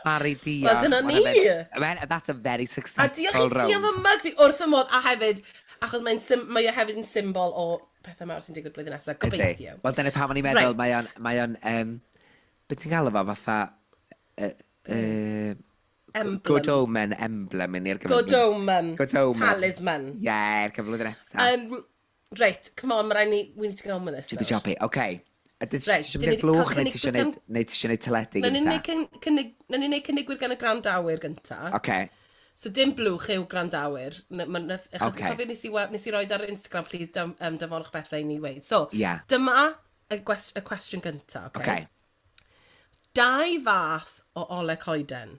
Mari, diolch. Wel, dyna Ma' hwnna'n ni. That's a very A successful diolch i ti am round. y mug fi wrth y modd, a hefyd, achos mae o hefyd yn symbol o pethau mawr sy'n digwydd blwyddyn nesaf, Ydi. gobeithio. Wel, dyna pam o'n i'n meddwl, mae o'n, beth ti'n gael o fo, fatha, Emblem. Good Omen emblem i ni ar gyfer. Good omen. Good omen. Talisman. Ie, ar gyfer blwyddyn nesaf. Reit, come on, mae rhaid ni, we need to get on with this. Chippy nawr. choppy, oce. A ti Reit, eisiau dyn mynd ni i'r blwch 'di neu cael ti eisiau cynnig neud, neu ti eisiau neud teledu Nawn ni gynta? wneud nawn ni wneud cynigwyr gan y gwrandawyr gynta. Oce, So dim blwch yw gwrandawyr. Achos Ocê. cofio nes i roed ar Instagram, please, danfonwch bethau i ni weid. So, Ie. dyma y cwestiwn gynta, oce? oce. Dau fath o ole coeden.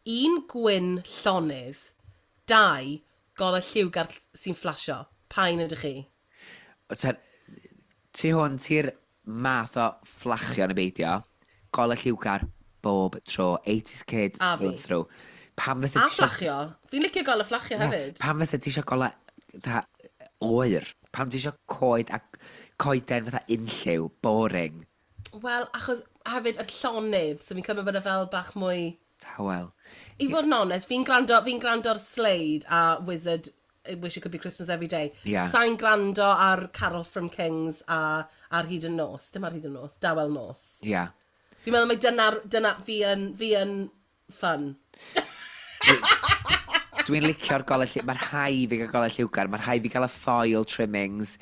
Un gwyn llonydd, dau golau lliwgar sy'n fflasio. Pa un ydych chi? So, ti hwn, ti'r math o fflachio yn y beidio, golau lliwgar bob tro, 80s kid A through fi. and through. Pam fysa A ti isio- fflachio. Fi'n licio golau fflachio Ie, hefyd. Pam fysa ti eisiau golau fatha oer? Pam ti eisiau coed a coeden fatha unlliw, boring, Wel, achos hefyd y llonydd, so fi'n cymryd bod e fel bach mwy. Tawel. I fod yn onest, fi gwrando ar Slade a Wizard, I Wish It Could Be Christmas Every Day. Ie. Sa'n gwrando ar Carol from Kings a ar Hyd y Nos. Dim ar Hyd y Nos, Dawel Nos. Ia. Yeah. Fi'n meddwl mai dyna, fi yn fun. Dwi'n licio'r golau lliw... Mae'r rhai fi gael golau lliwgar, mae'r rhai fi gael y foil trimmings.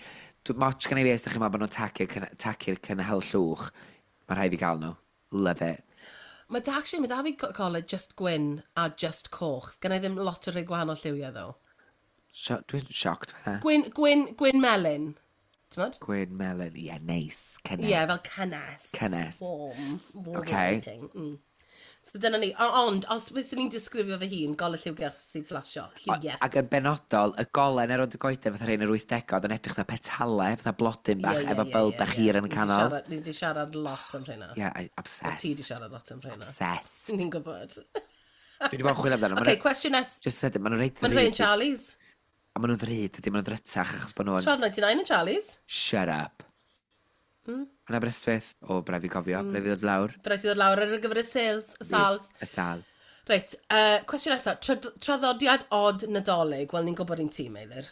Moch gan i fi os ydych chi'n meddwl bod nhw'n tacu'r cynhel llwch. Mae rhai fi gael nhw. Love it. Mae da, actually, mae da fi golau just gwyn a just coch. Gen i ddim lot o rei gwahanol lliwiau, ddo. So, dwi'n shocked fan'na. Gwyn, gwyn, gwyn melyn. T'mod? Gwyn melyn, ie, yeah, neis. Cynnes. Ie, yeah, fel cynnes. Cynnes. Warm. Warm Ocê. lighting. So dyna ni. Ond, os fyswn ni'n disgrifio fy hun, golau lliwgar sy'n fflasio. Lliwiau. Ac yn benodol, y golen ar rownd y goeden fatha rhain yr 80au, oedd yn edrych fatha petalau, fatha blodyn bach, efo bulb bach hir yn y canol. Ni wedi siarad lot am rheina. Ie, yeah, obsessed. Ti wedi siarad lot am rheina. Obsessed. Ni'n gwybod. Dwi wedi bod yn chwilio amdano. Oce, cwestiwn nes. Just sydyn, maen nhw'n reit Mae'n rhaid yn Charlie's. A maen nhw'n ddrud, ydy, maen nhw'n ddrytach achos bod nhw'n. 12.99 yn Charlie's. Shut up. Yn Aberystwyth, o, braf i cofio, braf i ddod lawr. Bryd i ddod lawr ar gyfer y sales, y sals. Y sal. Reit, cwestiwn nesaf. Traddodiad od Nadolig. Wel, ni'n gwybod un ti, Meilir.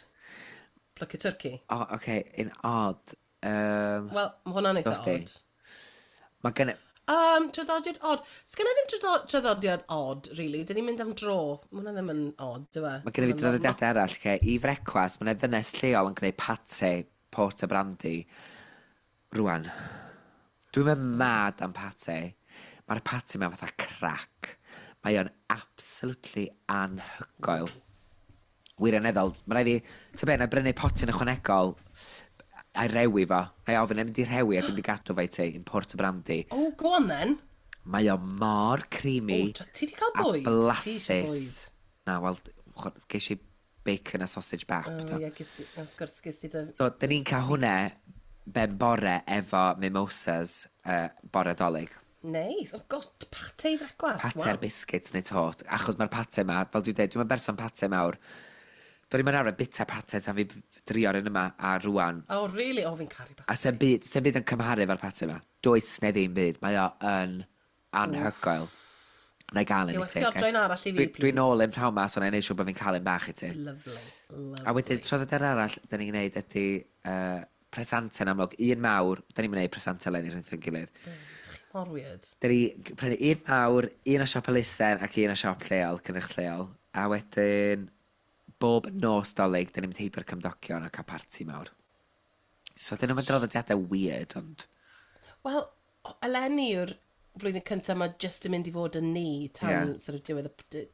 Plycu twrci. O, oce, okay, un odd. Wel, mae hwnna'n eitha Dos di. od. Mae gen. Traddodiad od. Sgynna ddim traddodiad od, really. Dyn ni'n mynd am dro. Mae hwnna ddim yn od, dyw e? Mae gen i fi draddodiadau arall, lle i frecwas, mae yna ddynes lleol yn gwneud pate, port a brandy. Rwan, dwi'n mynd mad am pate. Mae'r pate mewn fatha crack. Mae o'n absolutely anhygoel. Wirioneddol, mae rhaid fi, ti'n be, na i brynu potyn ychwanegol a'i rewi fo. Na i ofyn, na i mynd i rhewi a dwi'n mynd i gadw fo i ti, yn port a brandy. Oh, go on then. Mae o mor creamy. Oh, ti 'di cael a bwyd? Ti eisiau bwyd? blasus. Na, wel, ges i bacon a sausage bap. Oh, do. ie, ges ti, of course, ges ti dy. So, dyn ni'n cael hwnna ben bore efo mimosas bore Dolig. Nice. Oh, god, pate i frecwast. Pate ar biscuits neu tot. Achos mae'r pate ma, fel dwi'n dweud, dwi'n berson pate mawr. Do'n i'n arfer bita pate tan fi drio'r un yma a rwan. Oh, really? Oh, fi'n caru pate. A se'n byd, se'n byd yn cymharu efo'r pate yma. Does neu ddim byd. Mae o yn anhygoel. Na i gael un Yw, i ti. ti ocê? ordro un arall i fi, Dwi'n please? nôl yn prawn ma, so na i neud siŵr bod fi'n cael un bach i ti. Lovely. Lovely. A wedyn, traddodiad arall, da ni'n gwneud ydy presantau'n amlwg. Un mawr, da ni'n gwneud presantau eleni rhwng ein gilydd. Mor weird. Da ni prynu un mawr, un o siop elusen ac un o siop lleol, cynnyrch lleol. A wedyn, bob nos Dolig, da ni'n mynd heibio'r cymdogion a cael parti mawr. So, dyn nhw'n mynd draddodiadau weird, ond. Wel, eleni yw'r blwyddyn cyntaf mae just yn mynd i fod yn ni tan Ie. sort of diwedd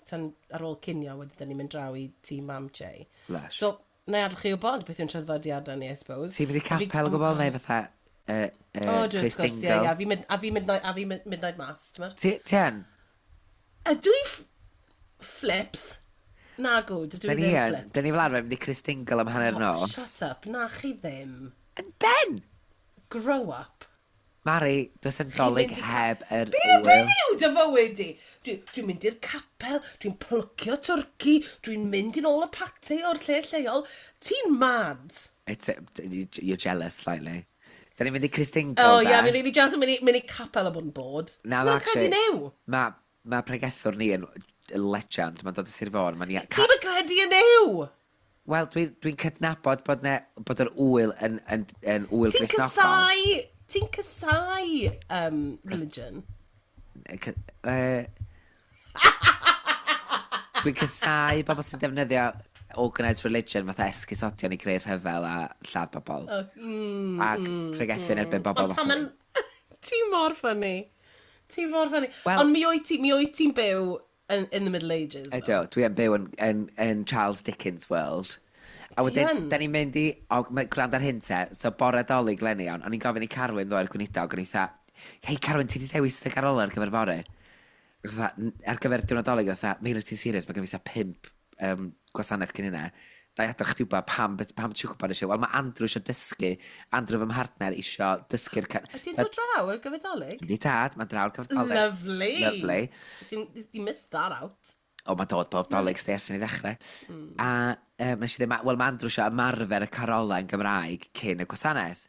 tan ar ôl cinio wedyn dyn ni'n mynd draw i tŷ mam Jay. Lush. So, na i adael chi wybod beth yw'n traddodiadau ni, I suppose. Ti'n mynd i capel o gwbl, neu fatha O, dwi Chris wrth gwrs, ie, Dingle? ie. A fi midnight, a fi midnight mass, ti'n meddwl? Ti yn? Ydw i flips? Na gwd, ydw Da i ni ddim yn. flips. Da ni fel arfer mynd i Chris Dingle am hanner Oh, nos. Shut up, na chi ddim. Ynden! Grow up. Mari, does yn dolyg mynd i heb yr Be wyl. beth yw dy fywyd di? Dwi'n mynd i'r capel, dwi'n plwcio twrci, dwi'n mynd i'n ôl y pate o'r lle lleol. Ti'n mad. You're jealous slightly. Da ni'n mynd i Cristingo, Oh, yeah, fi'n really jealous yn mynd i capel a bod yn bod. Na, Ti'n ma' mynd credu actually- new? Mae ma pregethwr ni yn legend, mae'n dod o Sir Fôn. Mae'n Ti'n mynd credu yn new? Wel, dwi'n dwi cydnabod bod yr wyl yn wyl Ti'n Gristnogol. casau, ti'n casau religion. Dwi'n casau bobl sy'n defnyddio organised religion fatha esgusodion i greu rhyfel a lladd bobl. Ac pregethu yn erbyn bobl Ond pan fatha. ma'n... Ti mor funny. Ti mor funny. Wel- Ond mi wyt ti'n byw in the Middle Ages. though. Ydw, dwi yn byw yn Charles Dickens world. A Ti wedyn, yn? da ni'n mynd i, o, gwrando ar hyn te, so bore dolyg leni iawn, o'n i'n gofyn i Carwyn ddoe'r gweinidog, o'n i fatha, hei Carwyn, ti di ddewis dy garola ar gyfer fory? Fatha, ar gyfer diwrnod dolyg, fatha, Meilir, ti'n serious, mae gen i fatha 5 gwasanaeth cyn hynna. Na i adael chdi wybod pam ti'n gwybod eisiau. Wel, mae Andrew eisiau dysgu, Andrew fy mhartner eisiau dysgu'r... Ydy'n dod draw ar gyfer dolyg? Yndi tad, mae'n draw ar gyfer dolyg. Lovely. Lovely. You missed that out. O, mae'n dod bob dolyg sti ers i ni ddechrau. A nes i ddweud, wel, mae Andrew eisiau ymarfer y carolau yn Gymraeg cyn y gwasanaeth.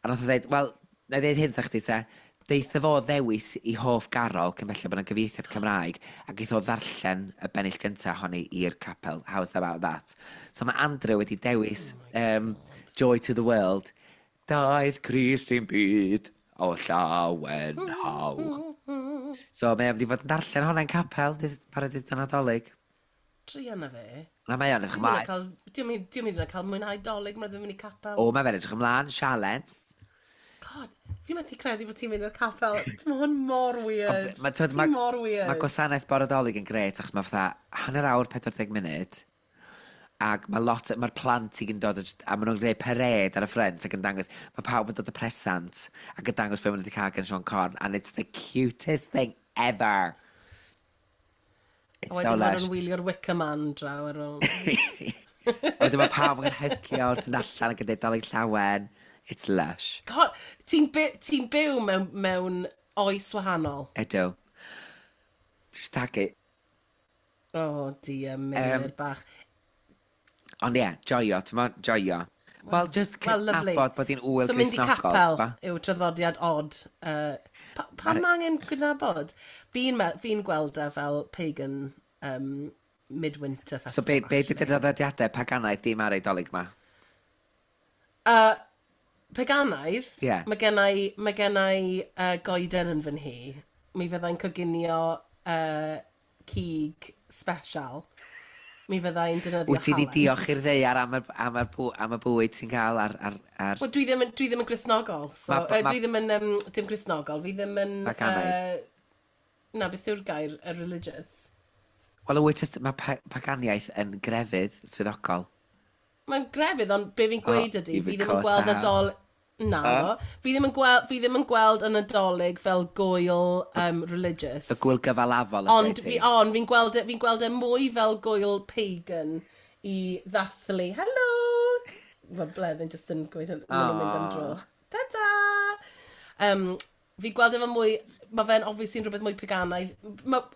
A nath o ddweud, wel, na i ddeud hyn wrtha chdi te, deitha fo ddewis i hoff garol cyn belled bod yna gyfieithiad Cymraeg ac eith o ddarllen y bennill gyntaf ohoni i'r capel. How's about that? So mae Andrew wedi dewis Joy to the World. Daeth Crist i'n byd o llawen hawch. So mae o'n mynd i fod yn darllen hwnna'n capel, parod i Nadolig. Druan na fe. Na mae o'n edrych Dwi'n mynd ymlaen. cael... Dwi'n mynd i cael mwynhau dolyg, mae'n ddim mynd i capel. O, mae fe'n edrych ymlaen, sialens. God, fi methu credu bod ti'n mynd i'r capel. Ti'n hwn mor weird. Ma, t'wod, Ti'n mor weird. Mae gwasanaeth bore Dolig yn gret, achos mae fatha hanner awr 40 munud, ac mae lot, mae'r plant i gyd yn dod, a maen nhw'n gwneud parade ar y ffrynt ac yn dangos, mae pawb yn dod y presant ac yn dangos be maen nhw wedi cael gan Siôn Corn, and it's the cutest thing ever. It's A so wedyn maen lush. nhw'n wylio'r Wicker Man draw ar ôl. Wedyn mae pawb yn hygio wrth yn allan ac yn dweud Dolig llawen. It's lush. God, ti'n by, ti byw mewn oes wahanol. Ydw. Just tag it. Oh dear, Meilir bach. Ond ie, yeah, joio, ti'n mo, joio. Wel, just Well, lovely. cydnabod bod hi'n wyl So mynd i Gristnogol, capel ti'n bo? yw traddodiad odd. Pa ma angen cydnabod? Fi'n fi gweld e fel pagan midwinter festival. So be di dy draddodiadau paganaidd dim ar ei Dolig ma? Paganaidd, Ie. mae gennai goeden yn fy nhŷ. Mi fyddai'n coginio cig special. Mi fyddai'n defnyddio Wyt ti di halen. diolch i'r ddaear am y bwyd ti'n cael ar. Wel, dwi ddim yn Gristnogol. So, dwi ddim yn, dim Gristnogol, fi ddim yn... Paganaidd. Na, beth yw'r gair, religious? Wel, wyt mae paganiaeth yn grefydd swyddogol. Mae'n grefydd, ond be fi'n gweud Oh, ydy, you've fi been ddim yn caught gweld out. Nadol... Na, fi ddim yn gweld y Nadolig fel gwyl religious. So gwyl gyfalafol ydy Ond ti. ond fi'n gweld e mwy fel gwyl pagan i ddathlu. Hello! Mae Bleddyn jyst yn gweud, maen nhw'n mynd am dro. Ta-ta! Fi'n gweld e fel mwy, mae fe'n obviously yn rhywbeth mwy paganaidd.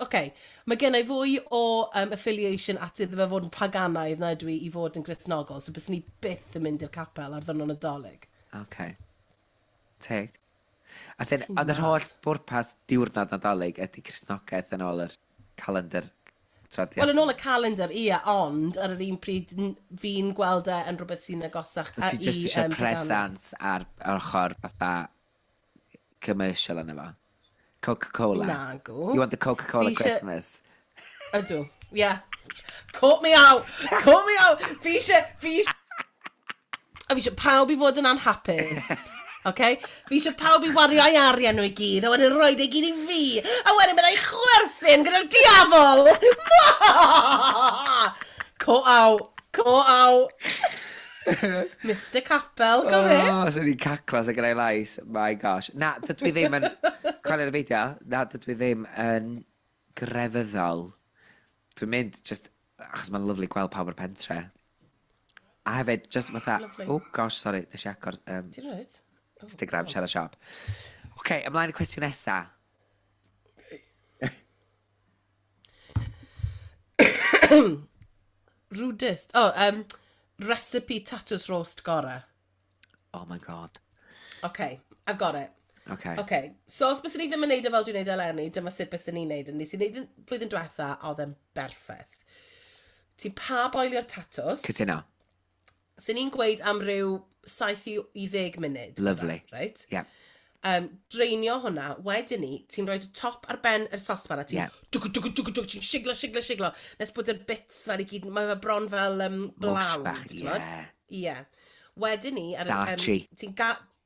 Okay, mae gen i fwy o affiliation at iddo fe fod yn paganaidd na dwi i fod yn Gristnogol, so byswn i byth yn mynd i'r capel ar ddwrnod Nadolig. Okay. Teg. A sy'n, ond yr holl bwrpas diwrnod Nadolig ydy Cristnogaeth yn ôl yr calendar traddodiad. Wel, yn ôl y calendar, ie, ond ar yr un pryd fi'n gweld e yn rhywbeth sy'n agosach So ti just i, eisiau paganaidd. presant ar ochr fatha commercial yna fo. Coca-Cola. Nagw. You want the Coca-Cola Fi isie- Christmas. Ydw, ie. Yeah. Caught me out! Caught me out! A fi eisiau pawb i fod yn anhapus. Okay? Fi eisiau pawb i wario ei arian nhw i gyd, a wedyn rhoi e gyd i fi, a wedyn byddai chwerthin gyda'r diafol! Caught out! Caught out! Mr Capel, go fe? Oh, swn i'n caclo sy'n gyda'i lais. My gosh. Na, dydw i ddim yn... Colin y beidio. Na, dydw i ddim yn grefyddol. Dwi'n mynd just... Achos mae'n lyflu gweld pawb o'r pentre. A hefyd, just fatha, Lovely. Oh gosh, sorry, nes i agor Ti'n reit? Oh, Instagram, God. siarad siop. Oce, okay, ymlaen i cwestiwn nesa. Rudest. Oh, recipe tatws roast gore. Oh my God. Okay, I've got it. Okay. Okay, so os byswn ni ddim yn neud o fel dwi'n neud eleni, dyma sut byswn ni'n neud. Nes i neud yn blwyddyn diwetha, a oedd e'n berffaith. Ti'n pa boelio'r tatws. Cytuno. Sy'n ni'n gweud am ryw 7 i 10 munud. Lovely. Right? Yeah. Dreinio hwnna, wedyn ni, ti'n rhoi y top ar ben yr sosban a ti'n dwg, dwg, dwg, dwg, ti'n siglo, siglo, siglo, nes bod yr bits fel i gyd, mae fe bron fel blawd, bach, ti'n gwbod? ie. Ie. Wedyn ni, ar y- Starchy.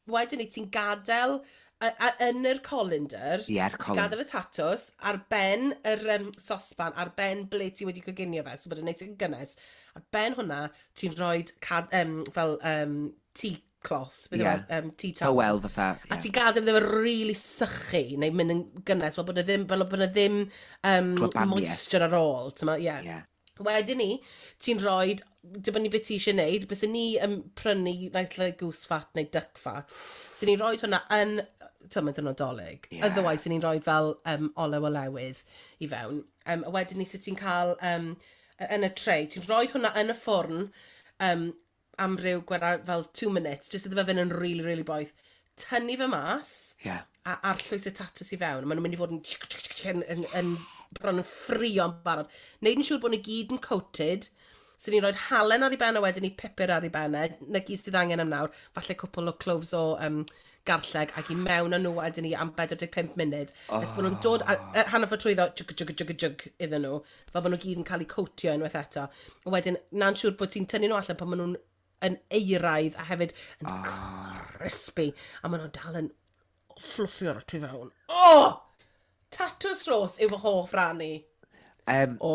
Wedyn ni, ti'n gadael yn yr colander, Ie, yr ti'n colander. gadael y tatws ar ben yr sosban, ar ben ble ti wedi coginio fe, so bod yn neis yn gynnes. Ar ben hwnna, ti'n rhoi fel tea cloth, beth yw e? Tea towel. Towel fatha. A ti'n gadael iddo fe really sychu, neu mynd yn gynnes, fel bod e ddim, fel bod e ddim Gwlybaniaeth. moisture ar ôl. Ti'n ma, ie. Ie. Wedyn ni, ti'n rhoi, dibynnu beth ti eisiau gwneud, bys ni yn prynu naill ai goose fat neu duck fat. So ni'n rhoi hwnna yn, ti'n mynd yn Nadolig. Ie. Otherwise, ni'n rhoi fel olew olewydd i fewn. A wedyn ni, sut ti'n cael yn y tray, ti'n rhoi hwnna yn y ffwrn am ryw gwera, fel 2 minutes, jyst iddo fe fynd yn really, really boeth. Tynnu fe mas, a arllwys y tatws i fewn. Maen nhw'n mynd i fod yn bron yn ffrio'n barod. Neud yn siŵr bod nhw gyd yn coated. So ni'n rhoi halen ar ei ben a wedyn ni pupur ar ei ben e. Na gyd sydd angen am nawr. Falle cwpl o cloves o garlleg ac i mewn â nhw wedyn ni am 45 munud. Oh. Nes bod nhw'n dod a hanner ffordd trwyddo, jwg, jwg, jwg, jwg iddyn nhw. Fel bod nhw gyd yn cael eu coatio unwaith eto. A wedyn, na'n siŵr bod ti'n tynnu nhw allan pan maen nhw'n yn euraidd a hefyd yn crispy. A maen nhw'n dal yn fluffy ar y tu fewn. Oh! Tatws rhos yw fy hoff ran i o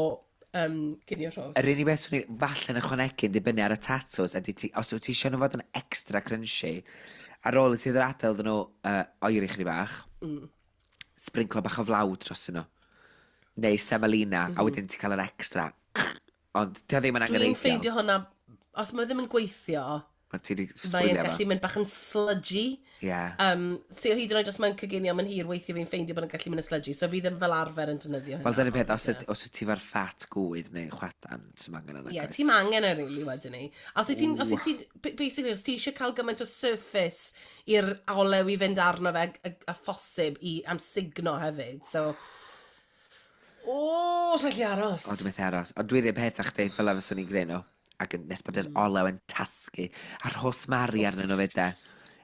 cinio rhos. Yr unig beth swn i falle'n ychwanegu yn dibynnu ar y tatws ydy ti, os wyt ti eisiau nhw fod yn extra crunchy, ar ôl i ti ddod adael iddyn nhw oeri chydig bach, sprinklo bach o flawd dros nhw. Neu semolina, a wedyn ti'n cael yr extra. Ond ti ddim yn Dwi'n angenrheidiol. ffeindio hwnna, os mae ddim yn gweithio, Mae ti wedi mae'n sbwylio gallu fo. mynd bach yn sludgy. Ie. So hyd yn oed os mae'n coginio mae'n hir, weithio fi'n ffeindio bod yn gallu mynd yn sludgy, so fi ddim fel arfer yn defnyddio hynna. Wel, dyna'r peth, os wyt ti fo'r ffat gwydd neu chwadan, ti'n angen yna. Ie, ti'n angen e really wedyn ni. A os wyt ti'n, basically, os ti eisiau cael gymaint o surface i'r olew i fynd arno fe a phosib i amsugno hefyd, so... O, oh, gallu aros. O, dwi'n methu aros. Ond dwi'n un peth â chdi, fel a fyswn i'n gwneud nhw. Ac yn nes bod yr olew yn tasgu. A rhosmari arnyn nhw fyd de.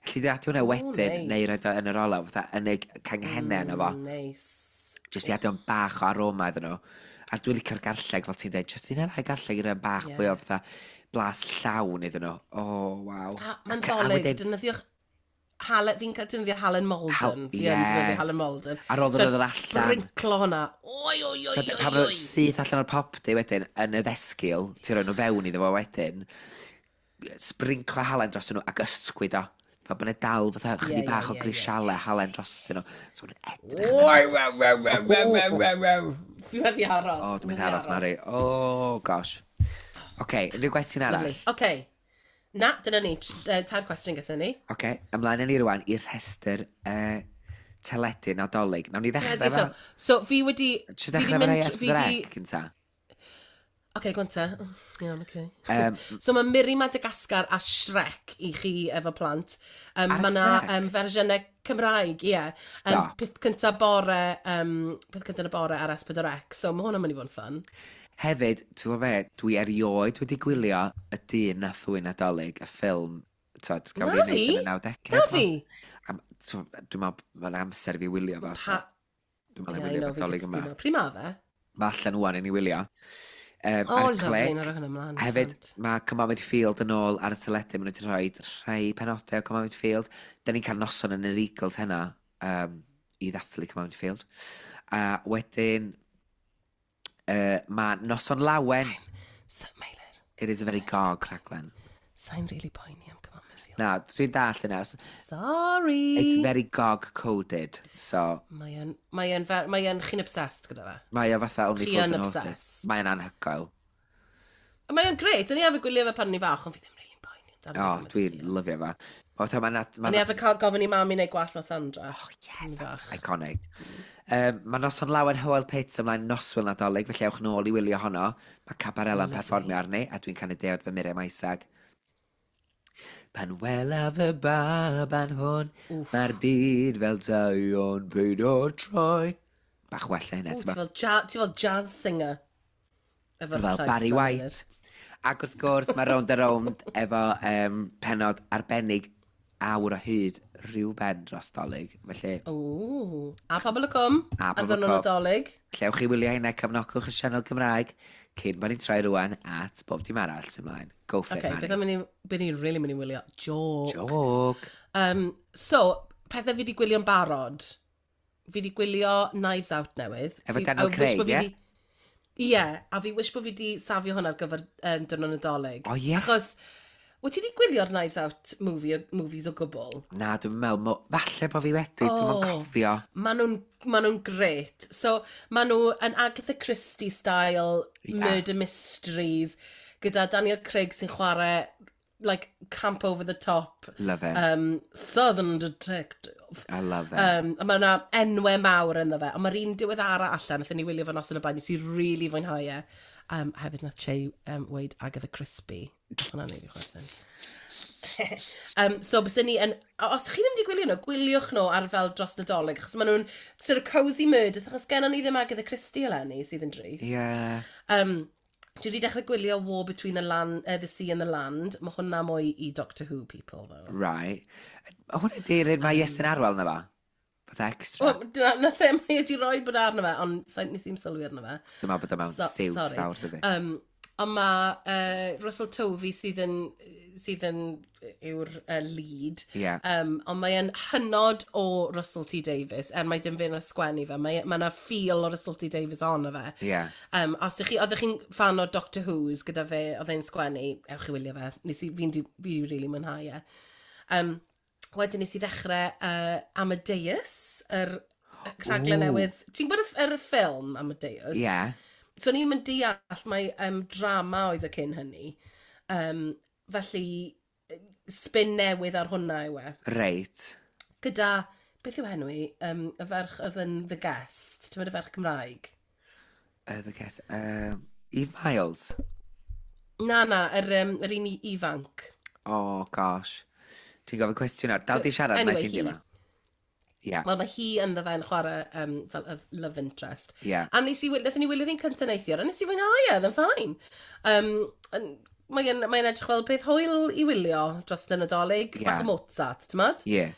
Alli di adio hwnna wedyn, neis. neu roed o yn yr olew, fatha yn y canghennau yna fo. Nice. Jyst i adio bach o aroma iddyn nhw. A dwi'n licio'r garlleg, fel ti'n dweud, jyst un neu ddau garlleg i roi bach fwy o fatha blas llawn iddyn nhw. O, oh, waw. A mae'n Ac- a ddolig, wedyn- defnyddiwch halen, fi'n cael defnyddio halen Malden. Hal- Fi yn ie. defnyddio halen Malden. Ar ôl iddyn nhw ddod allan. Sprinklo hwnna. Oi, oi, oi, So, oi, pan maen nhw oi. syth allan o'r popty wedyn, yn y ddesgil, ti'n rhoi nhw fewn iddo fo wedyn, sprinklo halen dros nhw ac ysgwyd o. Fel bod yna dal fatha chydig bach o grisialau halen dros nhw. So maen nhw'n edrych yn Oi, waw, waw, waw, waw, waw, waw, waw. Fi wedi aros. O, dwi'n methu aros, Mari. O, gosh. Oce, unrhyw gwestiwn arall? Lovely. Oce. Na, dyna ni. Tair cwestiwn gyda ni. Oce, ymlaen â ni rwan i'r rhestr teledu Nadolig. Nawn ni ddechrau Teledu efo ffilm. So, fi wedi Ti fi wedi ddechrau efo mynd rai fi wedi S4C gynta? Oce, go on te. Iawn, oce. So mae Miri Madagascar a Shrek i chi efo plant. Ar Mae yna S4C? fersiynau Cymraeg, ie. Stop. Peth cynta bore, peth cynta yn y bore ar S4C. So mae hwnna'n mynd i fod yn fun. Hefyd, ti'n gwybod be, dwi erioed wedi gwylio Y Dyn Nath Ddwyn Nadolig, y ffilm, twod, gafodd Na ei wneud fi. yn y 90au. Na fi. Dwi'n meddwl, mae'n amser i fi wylio fo. So, dwi'n meddwl Ie, i I wylio know, fo fi Dolig yma. gytuno. Pryd ma fe? Mae allan wan i ni wylio. O, Ar lovely, Clic. na roi hwnna ymlaen. Hefyd, Plant. mae Come On Midfield yn ôl ar y teledu. Maen nhw wedi rhoi rhai penodau o Come On Midfield. Da ni'n cael noson yn yr Eagles heno i ddathlu Come On Midfield. A wedyn, mae Noson Lawen. So, Meilir, It is a very gog rhaglen. sa'n really poeni am Come On Midfield. Na, dwi'n dallt yna. Sorry. It's very gog-coded. So, Mae o'n, chi'n obsessed gyda fe. mae o fatha Only Chi Fools yn and Horses. obsessed. Mae o'n anhygoel. Mae o'n grêt, o'n i arfer gwylio fe pan o'n i fach, ond fi ddim really'n poeni amdano. O, oh, dwi'n lyfio fe. Fatha mae'n... O'n i arfer cael gofyn i mami neu gwallt fel Sandra. Oh, yes, iconic. Mae Noson Lawen Hywel Pitts ymlaen noswyl Nadolig, felly ewch nôl i wylio honno. Mae Cabarella'n perfformio arni, a dwi'n canu deuawd fy Miriam Isaac. Pan welaf y baban hwn, mae'r byd fel taion peidio troi. Bach wella hynna, ti'n fel, ti fel jazz singer. Efo'r fel Barry White. Ac wrth gwrs, mae Rownd a Rownd efo penod arbennig awr o hyd rhyw ben dros Dolig. Felly... Ooh. A Pobol y Cwm. A Pobol y Cwm. Nadolig. Lle ewch chi wylio hynna, cefnogwch y sianel Gymraeg cyn bod ni'n troi rwan at bob dim arall sy'n mlaen. Go for okay, it, Mari. Beth am beth ni'n really mynd i wylio? Joke. Joke. So, pethau fi wedi gwylio'n barod. Fi wedi gwylio Knives Out newydd. Efo Daniel Craig, ie? Ie, a fi wish bod fi wedi safio hwnna ar gyfer diwrnod Nadolig. O, ie? Achos, wyt ti wedi gwylio'r Knives Out movies o gwbl? Na, dwi'n meddwl, falle bod fi wedi, dwi'n meddwl cofio. Maen nhw'n ma nhw grêt. So, maen nhw yn Agatha Christie style, murder mysteries, gyda Daniel Craig sy'n chwarae, like, camp over the top. Love it. Southern detective. I love it. A mae yna enwau mawr ynddo fe. Ond mae'r un diweddara allan, nathon ni wylio fe noson o blaen, nes i really fwynhau e. Hefyd nath Che weud Agatha Crispy. Hwna'n neud i chwerthin. So, byswn ni yn... Os chi ddim wedi gwylio nhw, gwyliwch nhw ar fel dros Nadolig, achos maen nhw'n sort of cosy murders, achos gennon ni ddim Agatha Christie eleni, sydd yn drist. Yeah. Dwi wedi dechrau gwylio War Between the, land, the Sea and the Land. Mae hwnna mwy i Doctor Who people, though. Right. Hwna di'r un mae Iestyn Arwel na fa? Fatha extra. Well, nath e, mae wedi rhoi bod arno fe, ond nes i'm sylwi arno fe. Dwi'n meddwl bod o mewn siwt fawr, dydy. Ond mae Russell Tovey sydd yn yw'r lead. Yeah. Ond mae e'n hynod o Russell T Davies, er mae dim fe na sgwennu fe. Mae yna feel o Russell T Davies ono fe. Yeah. Os ych chi, oeddech chi'n fan o Doctor Who's gyda fe, oedd e'n sgwennu, ewch i wylio fe. Nes i, fi'n fi really mwynhau e. Wedyn nes i ddechrau Amadeus, yr rhaglen newydd. Ti'n gwybod yr ffilm Amadeus? Yeah. So ni'n mynd deall mae drama oedd y cyn hynny. Felly, spin newydd ar hwnna yw e. Reit. Gyda, beth yw enw i? Y ferch oedd yn The Guest. Ti'n meddwl y ferch Cymraeg? The Guest. Eve Miles? Na, yr un ifanc. Oh, gosh. Ti'n gofyn cwestiwn ar. Dal di siarad, anyway, na i ffeindio fo. Yeah. Wel, mae hi ynddo fe'n chwarae fel y love interest. Yeah. A wnaethon ni wylio'r un cyntaf neithiwr, a nes i fwynhau e, oedd yn fine. Mae'n edrych fel peth hwyl i wylio dros y Nadolig, yeah. Bach o Mozart, ti'n modd? Ie. Yeah.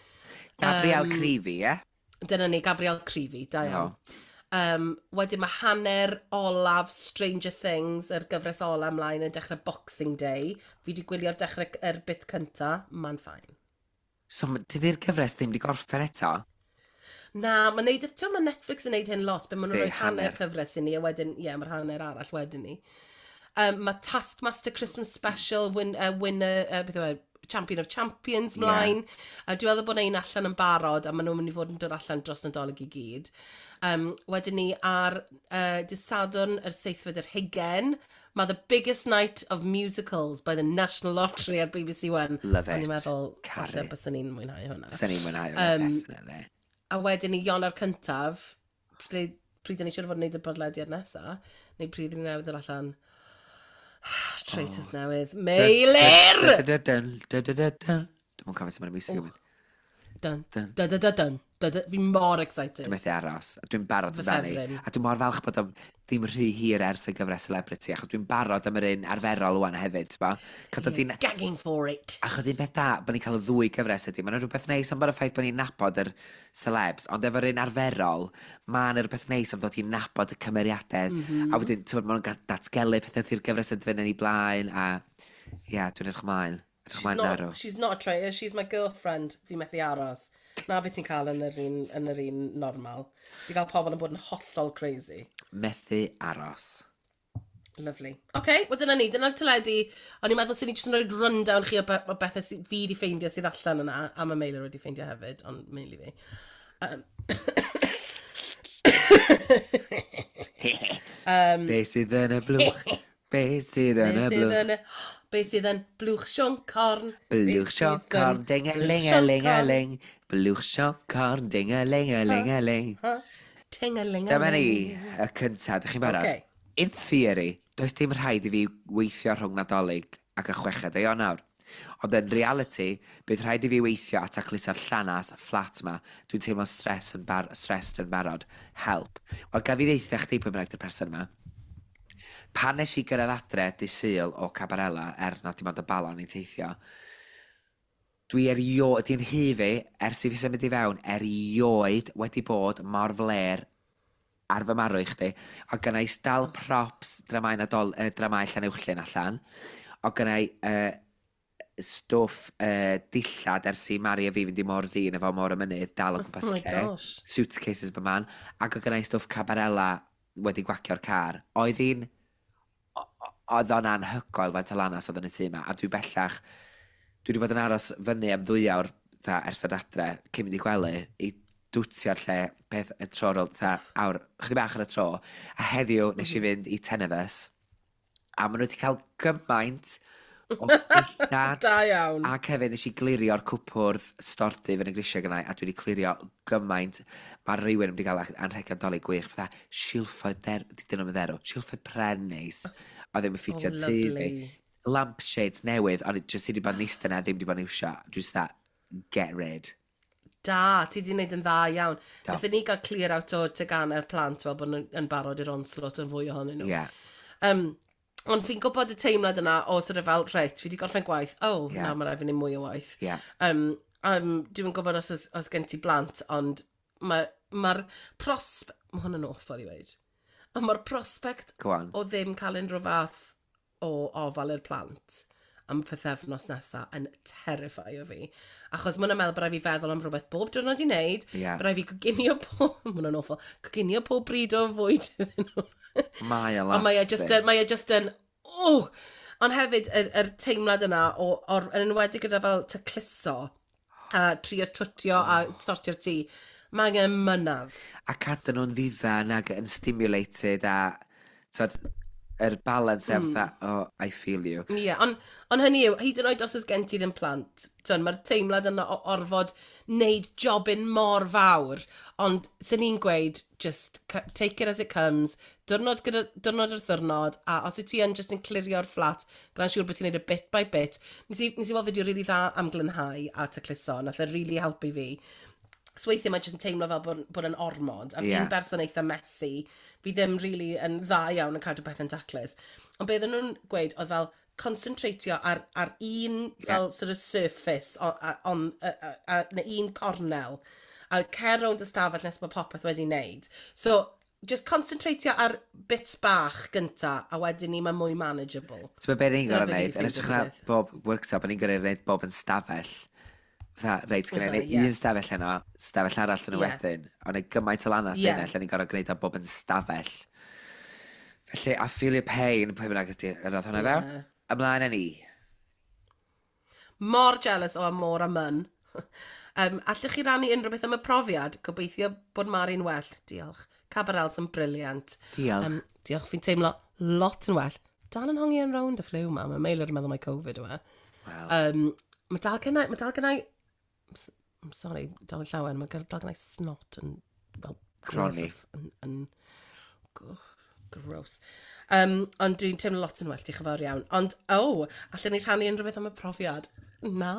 Gabrielle Creevy, ie? Yeah? Dyna ni, Gabrielle Creevy, da iawn. No. Wedyn mae hanner olaf Stranger Things, yr gyfres ola ymlaen yn dechrau Boxing Day. Fi wedi gwylio'r dechrau yr bit cynta, mae'n fine. So, dydy'r gyfres ddim wedi gorffen eto? Na, mae'n neud, ti'n mae Netflix yn neud hyn lot, be maen nhw'n rhoi hanner cyfres i ni, a wedyn, ie, yeah, mae'r hanner arall wedyn ni. Mae Taskmaster Christmas Special, winner, beth yw e, Champion of Champions mlaen. Yeah. Dwi'n meddwl bod un allan yn barod, a maen nhw'n mynd i fod yn dod allan dros Nadolig i gyd. Wedyn ni ar dydd Sadwrn yr 27, mae The Biggest Night of Musicals by the National Lottery ar BBC One. Love it. O'n i'n meddwl, falle byswn ni'n mwynhau hwnna. Byswn ni'n mwynhau hwnna, definitely. A wedyn ni Ionawr cyntaf, pryd ni siŵr o fod yn gwneud y podlediad nesaf, neu pryd ni newydd yr allan. Traitors newydd. Meilir! Dwi'n mwyn cofio sut mae'n music yn mynd. Dun, dun, dun, dun, dun. Fi mor excited. Dwi'n methu aros. Dwi'n barod amdani. A dwi'n mor falch bod o ddim rhy hir ers y gyfres Celebrity, achos dwi'n barod am yr un arferol wan hefyd, ti'n bo? Yeah, gagging for it. Achos un peth da, bod ni'n cael y ddwy gyfres ydy, mae'n rhywbeth neis am bod y ffaith bod ni'n nabod yr celebs, ond efo'r un arferol, mae'n rhywbeth neis am dod i nabod y cymeriadau. Mm -hmm. A wedyn, ti'n bod, maen nhw'n datgelu pethau wrth i'r gyfres yn fynd yn ei blaen, a ia, yeah, dwi'n edrych ymlaen. She's not a traitor, she's my girlfriend. Fi methu aros. Na beth ti'n cael yn yr un normal. Ti'n cael pobl yn bod yn hollol crazy. Methu aros. Lovely. OK, wel dyna ni, dyna'r teledu. O'n i'n meddwl sy'n ni jyst yn rhoi rundown chi o bethau fi wedi ffeindio sydd allan yna, a mae Meilir wedi ffeindio hefyd, ond mainly fi. Be sydd yn y blwch? Be sydd yn y blwch? Be sydd yn blwch Siôn Corn? Blwch Siôn Corn, ding-a-ling-a-ling-a-ling. Blwch Siôn Corn, ding-a-ling-a-ling-a-ling. Ting-a-ling-a-ling. Dyma ni, y cyntaf, ydych chi'n barod? Okay. In theory, does dim rhaid i fi weithio rhwng Nadolig ac y 6 o Ionawr. Ond yn reality, bydd rhaid i fi weithio a tacluso'r llanas fflat ma. Dwi'n teimlo stress yn bar stressed yn barod. Help. Wel, gaf i ddeutha chdi pwy bynnag di'r person yma. Pan nes i gyrraedd adre dy Sul o Cabarella, er na dim ond y balon i'n teithio, dwi erioed, di'n hi fi, ers i fi symud i fewn, erioed wedi bod mor fler ar fy marw i chdi. O gynna i dal props dramau, Nadol, dramau Llanuwchllyn allan. O gynna i stwff dillad ers i Mari a fi fynd i Môr Zin efo Môr y Mynydd dal o gwmpas Oh y my lle. gosh. Suitcases by man. Ac o gynna i stwff Cabarella wedi gwacio'r car. Oedd hi'n... Oedd o'n anhygoel faint o lanas oedd yn y tŷ yma. A dwi bellach... Dwi wedi bod yn aros fyny am 2 awr tha, ers dod adre, cyn mynd i gwely, i dwtio'r lle peth y tro ar ôl, tha, awr, chydig bach ar y tro. A heddiw nes i fynd i Ten of Us, a maen nhw wedi cael gymaint o ddillad. Da iawn. Ac hefyd nes i glirio'r cwpwrdd stordy fyny grisiau gynnau, a dwi wedi clirio gymaint. Mae rhywun wedi cael anrhegion Dolig gwych, fatha silffoedd der, dydyn nhw'n dderw, silffoedd pren neis, oedd ddim yn ffitio Oh, tŷ fi. lovely. Lampshades newydd, ond jyst i wedi bod yn eistedd na, ddim wedi bod yn iwsio. Just that, get rid. Da, ti wedi gwneud yn dda iawn. Do. Nathon ni gael clear out o teganau'r plant fel bod nhw'n yn barod i'r onslaught yn fwy ohonyn nhw. Ond fi'n gwybod y teimlad yna o sort of fel, reit, fi wedi gorffen gwaith, oh, yeah. Nawr mae rhaid fi wneud mwy o waith. Dwi'n gwybod os gen ti blant, ond mae'r ma prospe... Mae hwn yn awful i weud. Ond mae'r prospect Go on. o ddim cael unrhyw fath o ofal i'r plant am y pythefnos nesaf yn terrifio fi. Achos mae'n meddwl bod rhaid fi feddwl am rhywbeth bob diwrnod i wneud. Bod rhaid fi coginio pob... Mae hwnna'n awful. Coginio pob bryd o fwyd iddyn nhw. Mae o lot. Ond mae e just di. yn, mae e just yn, oh! Ond hefyd, yr teimlad yna, yn enwedig gyda fel tacluso, a trio twtio a sortio'r tŷ, mae angen mynadd. A cadw nhw'n ddiddan ac yn stimulated a... Tod, yr balance fatha, "Oh, I feel you." Ie, yeah, ond on hynny yw, hyd yn oed os oes gen ti ddim plant, mae'r teimlad yna o orfod wneud jobyn mor fawr, ond sy'n ni'n gweud, just take it as it comes, diwrnod, gyda, diwrnod wrth ddiwrnod, a os wyt ti yn just yn clirio'r fflat, gwna'n siŵr bod ti'n neud y bit by bit. Nes i weld fideo really dda am glynhau a tacluso, nath e really helpu fi. So weithiau mae jyst yn teimlo fel bod yn ormod, a fi'n berson eitha messy, fi ddim really yn dda iawn yn cadw pethau'n taclus. Ond beth oedden nhw'n gweud oedd fel concentratio ar un fel sort of surface, o, a, on, a, neu un cornel, a cer rownd y stafell nes bod popeth wedi wneud. So, just concentratio ar bits bach gynta, a wedyn ni mae mwy manageable. Ti'n meddwl beth ni'n Dyna gorau be fi wneud? 'di Yn ffeindio ystod na beth. bob workshop, ni'n gorau wneud bob yn stafell. Fatha, reit, gyda Fatha, ni ie. un stafell heno, stafell arall yn y wedyn. Ond y gymaint o lanas yna, lle ni'n gorau gwneud o bob yn stafell. Felly, I feel your pain, pwy bynnag ydy yr oedd hwnna fewn. Ymlaen â ni. Mor jealous o Amor a Mun. Allwch chi rannu unrhyw beth am y profiad? Gobeithio bod Mari'n well. Diolch. Cabarels yn brilliant. Diolch. Diolch, fi'n teimlo lot yn well. Dal yn hongi yn rownd y ffliw ma. Mae Meilir yn meddwl mai Covid yw e. Wel, Mae dal gennau... I'm sorry, dal yn llawen. Mae dal gennau snot yn... Fel, Croni. gwyrdd, yn gross. Ond dwi'n teimlo lot yn well, diolch yn fawr iawn. Ond, oh, allan ni rhannu unrhyw beth am y profiad? Na,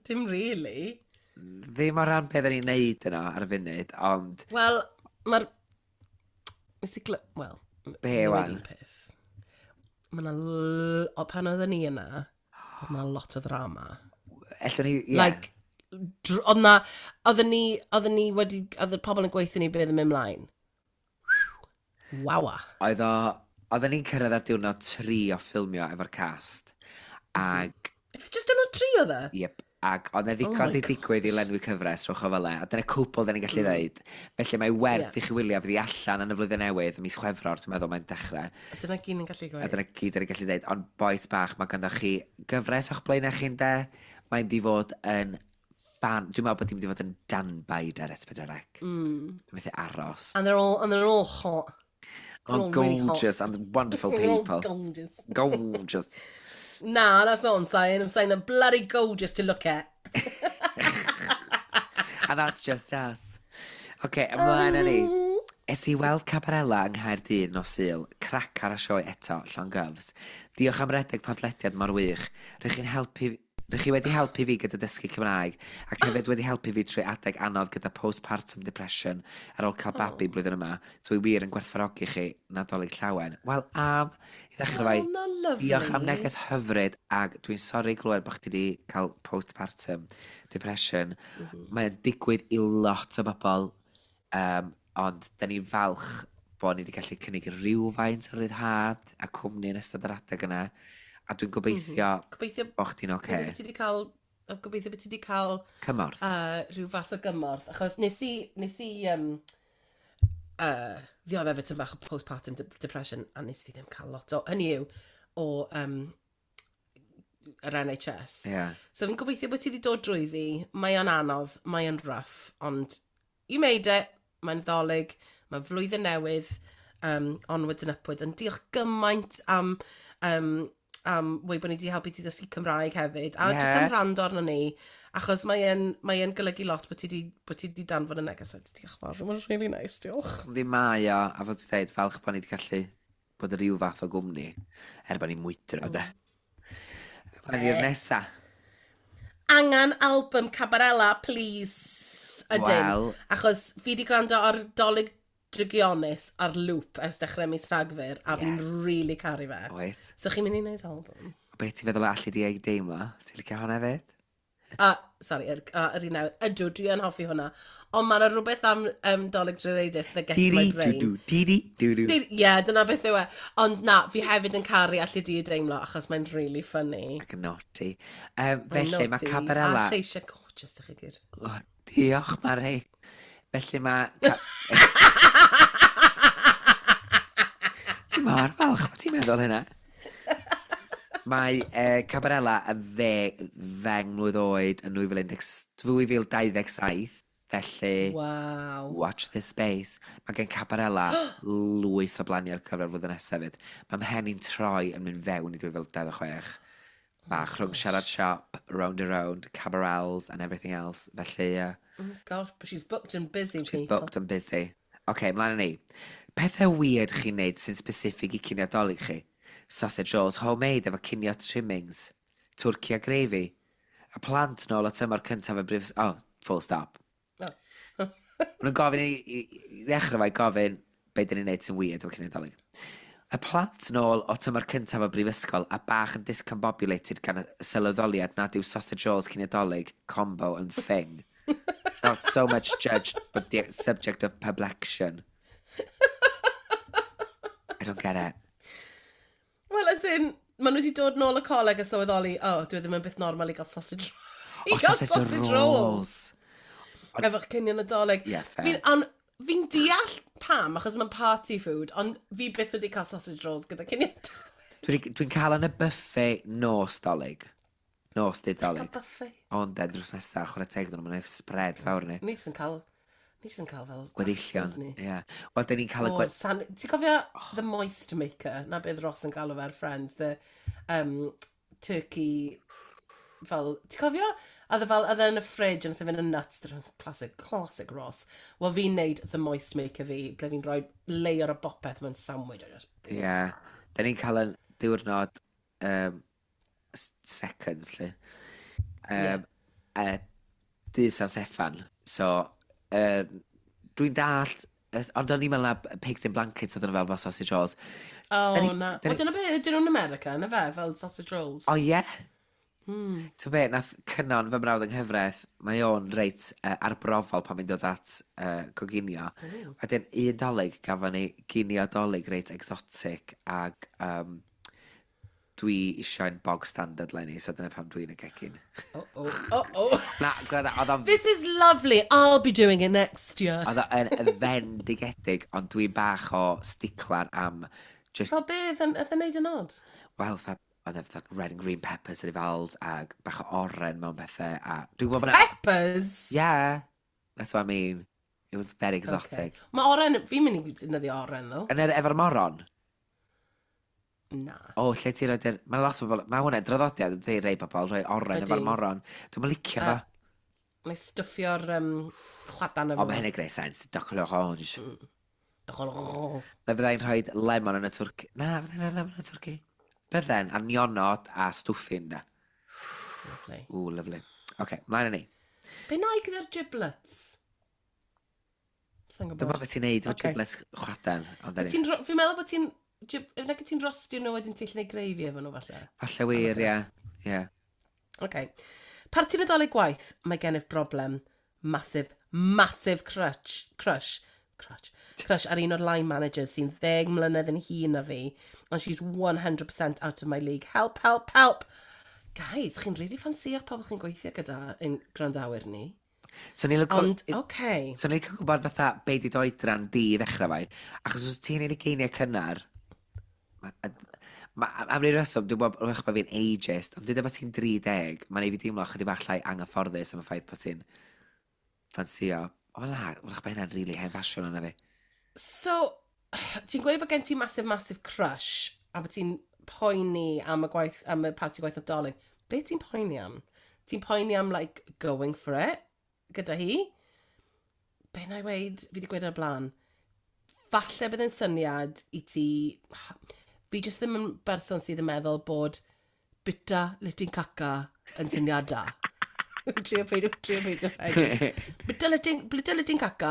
dim really. Ddim o ran beth ni'n neud yno ar y funud, ond Wel, mae'r... Nes i gly... Wel, Be, fi'n wan? gweud un peth. Mae 'na o, pan oedden ni yna, oedd 'na lot o ddrama. Ellwn ni, ie. Like, oedd 'na... Oedden ni wedi... Oedd y pobl yn gweithio ni beth yn mynd mlaen. Wawa. Oedden ni'n cyrraedd ar diwrnod 3 o ffilmio efo'r cast. Ag, If just diwrnod 3 oedd e? Yep, ac oedd e Oh ddigon my di digwydd i lenwi cyfres, rhowch o fel e. A dyna cwbl da ni'n gallu ddeud. Felly mae werth i chi wylio, fydd i allan yn y flwyddyn newydd, mis Chwefror, dwi'n meddwl mae'n dechrau. A dyna gyd ni'n gallu A gweud. dyna gyd da ni'n gallu dweud. Ond boys bach, mae ganddo chi gyfres o'ch blaenau chi'n de. Mae'n di fod yn fan. Dwi'n meddwl bod hi'n mynd i fod yn danbaid ar S4C. Dwi'n methu aros. And they're all hot. Oh, We're all really hot. gorgeous and wonderful We're all people. gorgeous. Gorgeous. Nah, that's not what I'm saying. I'm saying they're bloody gorgeous to look at. And that's just us. OK, ymlaen â ni. Es i weld Cabarella yng Nghaerdydd nos Sul, crac ar y sioe eto, llongyfs. Diolch am redeg podlediad mor wych. Rych chi wedi helpu fi gyda dysgu Cymraeg, ac hefyd wedi helpu fi trwy adeg anodd gyda postpartum depression ar ôl cael babi blwyddyn yma. Dwi wir yn gwerthfawrogi chi, Nadolig Llawen. Wel, am, i ddechrau Well, fai, na lovely. diolch am neges hyfryd, ac dwi'n sori glywed bod chdi wedi cael postpartum depression. Mae'n digwydd i lot o bobl, ond da ni'n falch bod ni wedi gallu cynnig rhywfaint o ryddhad a cwmni yn ystod yr adeg yna. A dwi'n gobeithio Gobeithio bod chdi'n oce. gobeithio bod ti wedi cael gobeithio bod ti wedi cael Cymorth. Rhyw fath o gymorth, achos nes i ddioddef tipyn bach o postpartum depression, a nes i ddim cael lot o, hynny yw, o yr NHS. So fi'n gobeithio bod ti wedi dod drwyddi, mae o'n anodd, mae o'n rough, ond you made it, mae'n Ddolig, mae'n flwyddyn newydd, onwards and upwards, ond diolch gymaint am weud bod ni wedi helpu ti ddysgu Cymraeg hefyd, a just am rando arno ni, achos mae e'n golygu lot bod ti di danfon y neges, a diolch fawr, mae'n really nice, diolch. Yndi mae o, a fod dwi'n dweud, falch bod ni wedi gallu bod yn rhyw fath o gwmni, er bod ni'n mwydro, de. Ymlaen i'r nesa. Angen album Cabarella, please. Ydyn. Wel. Achos fi wedi gwrando ar Dolig Drygionus ar loop ers dechrau mis Rhagfyr, a fi'n really caru fe. Oed. So chi'n mynd i wneud album? O, beth ti'n feddwl allu di ei deimlo? Ti'n licio hwnna hefyd? A, sorry, yr un newydd. Ydw, dwi yn hoffi hwnna. Ond mae yna rhywbeth am Dolig Drygionus that gets my Di-di, brain. dw-dw, di-di, dw-dw. Ie, yeah, dyna beth yw e. Ond na, fi hefyd yn caru allu di ei deimlo, achos mae'n really funny. Ac yn naughty. Mae'n Felly, mae naughty. Cabarella. A lleisiau gorgeous ych chi gyd. Oh, diolch, Mari. Felly mae Dwi'n mor falch bod ti'n meddwl hynna. Mae Cabarella yn 10 mlwydd oed yn 2010 2027, felly watch this space. Mae gen Cabarella lwyth o blaniau ar gyfer flwyddyn nesaf hefyd. Mae mhen i'n troi yn mynd fewn i 2026. Bach rhwng Siarad Siop, Round and Round, Cabarells and everything else. Felly, Oh gosh, but she's booked and busy, she's people. booked and busy. OK, mlaen â ni. Pethau weird chi'n neud sy'n specific i cinio Dolig chi? Sausage rolls homemade efo cinio trimmings. Twrci a gravy. A plant nôl o tymor cyntaf y brif. Oh, full stop. Oh. Maen nhw'n gofyn i ddechrau fai gofyn be dyn ni'n neud sy'n weird efo cinio Dolig. Y plant nôl o tymor cyntaf y brifysgol a bach yn discombobulated gan y sylweddoliad nad yw sausage rolls cinio Dolig combo yn thing. Not so much judged, but the subject of perplexion. I don't get it. Well, as in, maen nhw wedi dod nôl y coleg a sylweddoli, oh, dwi ddim yn byth normal i gael sausage I Oh, gael sausage rolls. Efo'ch cinio Nadolig. Yeah, fair. Fi'n deall pam, achos mae'n party food, ond fi byth wedi cael sausage rolls gyda cinio Nadolig. Dwi'n cael yn y buffet nos Dolig. Nos dydd Cael Dolig. buffet. Ond de, drws nesaf, chwarae teg iddyn nhw, mae'n spread fawr ni. Ni jyst yn cael. Ni jyst yn cael fel Gweddillion. afters ni. Ie. Wel, dyn ni'n cael y Oh, ti'n cofio The Moist Maker? Na beth Ross yn galw fe ar Friends, the turkey fel, ti'n cofio? A oedd e fel, oedd e yn y fridge, yn fynd yn nuts, dyna classic, classic Ross. Wel, fi'n neud The Moist Maker fi, ble fi'n rhoi layer o bopeth mewn sandwich. A just. Ie. Dyn ni'n cael yn diwrnod seconds, lle. Dydd San Steffan. So, dwi'n dallt, ond o'n i'n meddwl na pigs in blankets oedd yn fel sausage rolls. Oh, na. Wel, dyna beth, ydyn nhw'n America, na fe, fel sausage rolls. O ie? Ti'n be, nath Cynon fy mrawd yng nghyfraith, mae o'n reit arbrofol pan mae'n dod at coginio. A dyn un Dolig gafon ni ginio Dolig reit exotic ag dwi eisiau'n bog standard 'leni, so dyna pam dwi'n y gegin. Oh. Na, gwranda, oedd o'n This is lovely. I'll be doing it next year. oedd o'n fendigedig, ond dwi'n bach o stickler am just, Fel beth, yn neud yn odd? Wel, fatha, oedd e fatha red and green peppers yn involved, ag bach o oren mewn pethau, a dwi'n gwybod bod 'na. Peppers? Yeah, that's what I mean. It was very exotic. Okay. Mae oren, fi'n mynd i defnyddio oren, ddo. Yn yr, efo'r moron? Na. O, lle ti'n rhoi... Mae lot o bobl. Mae hwnna'n draddodiad yn dweud rei bobl, rhoi oren efo'r moron. Dwi'n licio fo. Mae stwffio'r chwadan efo. O, mae hynny'n gwneud sens. Duck l'orange. Duck l'orange. Na fyddai'n rhoi lemon yn y twrci. Na, fyddai'n rhoi lemon yn y twrci. Bydden, a nionod a stwffin da. Lovely. Ooh, lovely. Oce, okay, mlaen â ni. Be na i gyda'r giblets? Sa'n gwybod. Dwi'n meddwl beth ti'n neud efo giblets chwadan. Fi'n meddwl bod ti'n. Nag ti'n rostio nhw wedyn ti'n gallu gwneud gravy efo nhw falle? Falle wir, ie. Ie. Okay. Parti Nadolig gwaith, mae gennyf broblem. Massive, massive crush ar un o'r line managers sy'n 10 mlynedd yn hŷn na fi, and she's 100% out of my league. Help, help, help! Guys, chi'n really ffansïo'ch pobl chi'n gweithio gyda yn gwrandawyr ni. So ni'n licio. Ond, okay. So ni'n licio gwybod fatha be di d'oedran di i ddechrau fai. Achos os ti'n ei ugeiniau cynnar, am ryw reswm, dwi'n gwybod wrach bod fi'n ageist, ond dwi'n bod ti'n 30, mae'n ei fi deimlo chydig bach llai anghyfforddus am y ffaith bod ti'n ffansio. O na, wrach bod hynna'n really hen ffasiwn yna fi. So, ti'n gweud bod gen ti massive, massive crush, a bod ti'n poeni am y gwaith, am y parti gwaith Nadolig. Be ti'n poeni am? Ti'n poeni am, like, going for it gyda hi? Be na i weid, fi wedi gweud ar blaen, falle bydd yn syniad i ti. Fi jyst ddim yn berson sydd yn meddwl bod bita le ti'n caca yn syniad da. Trio peidio, trio peidio. Bita le ti'n caca,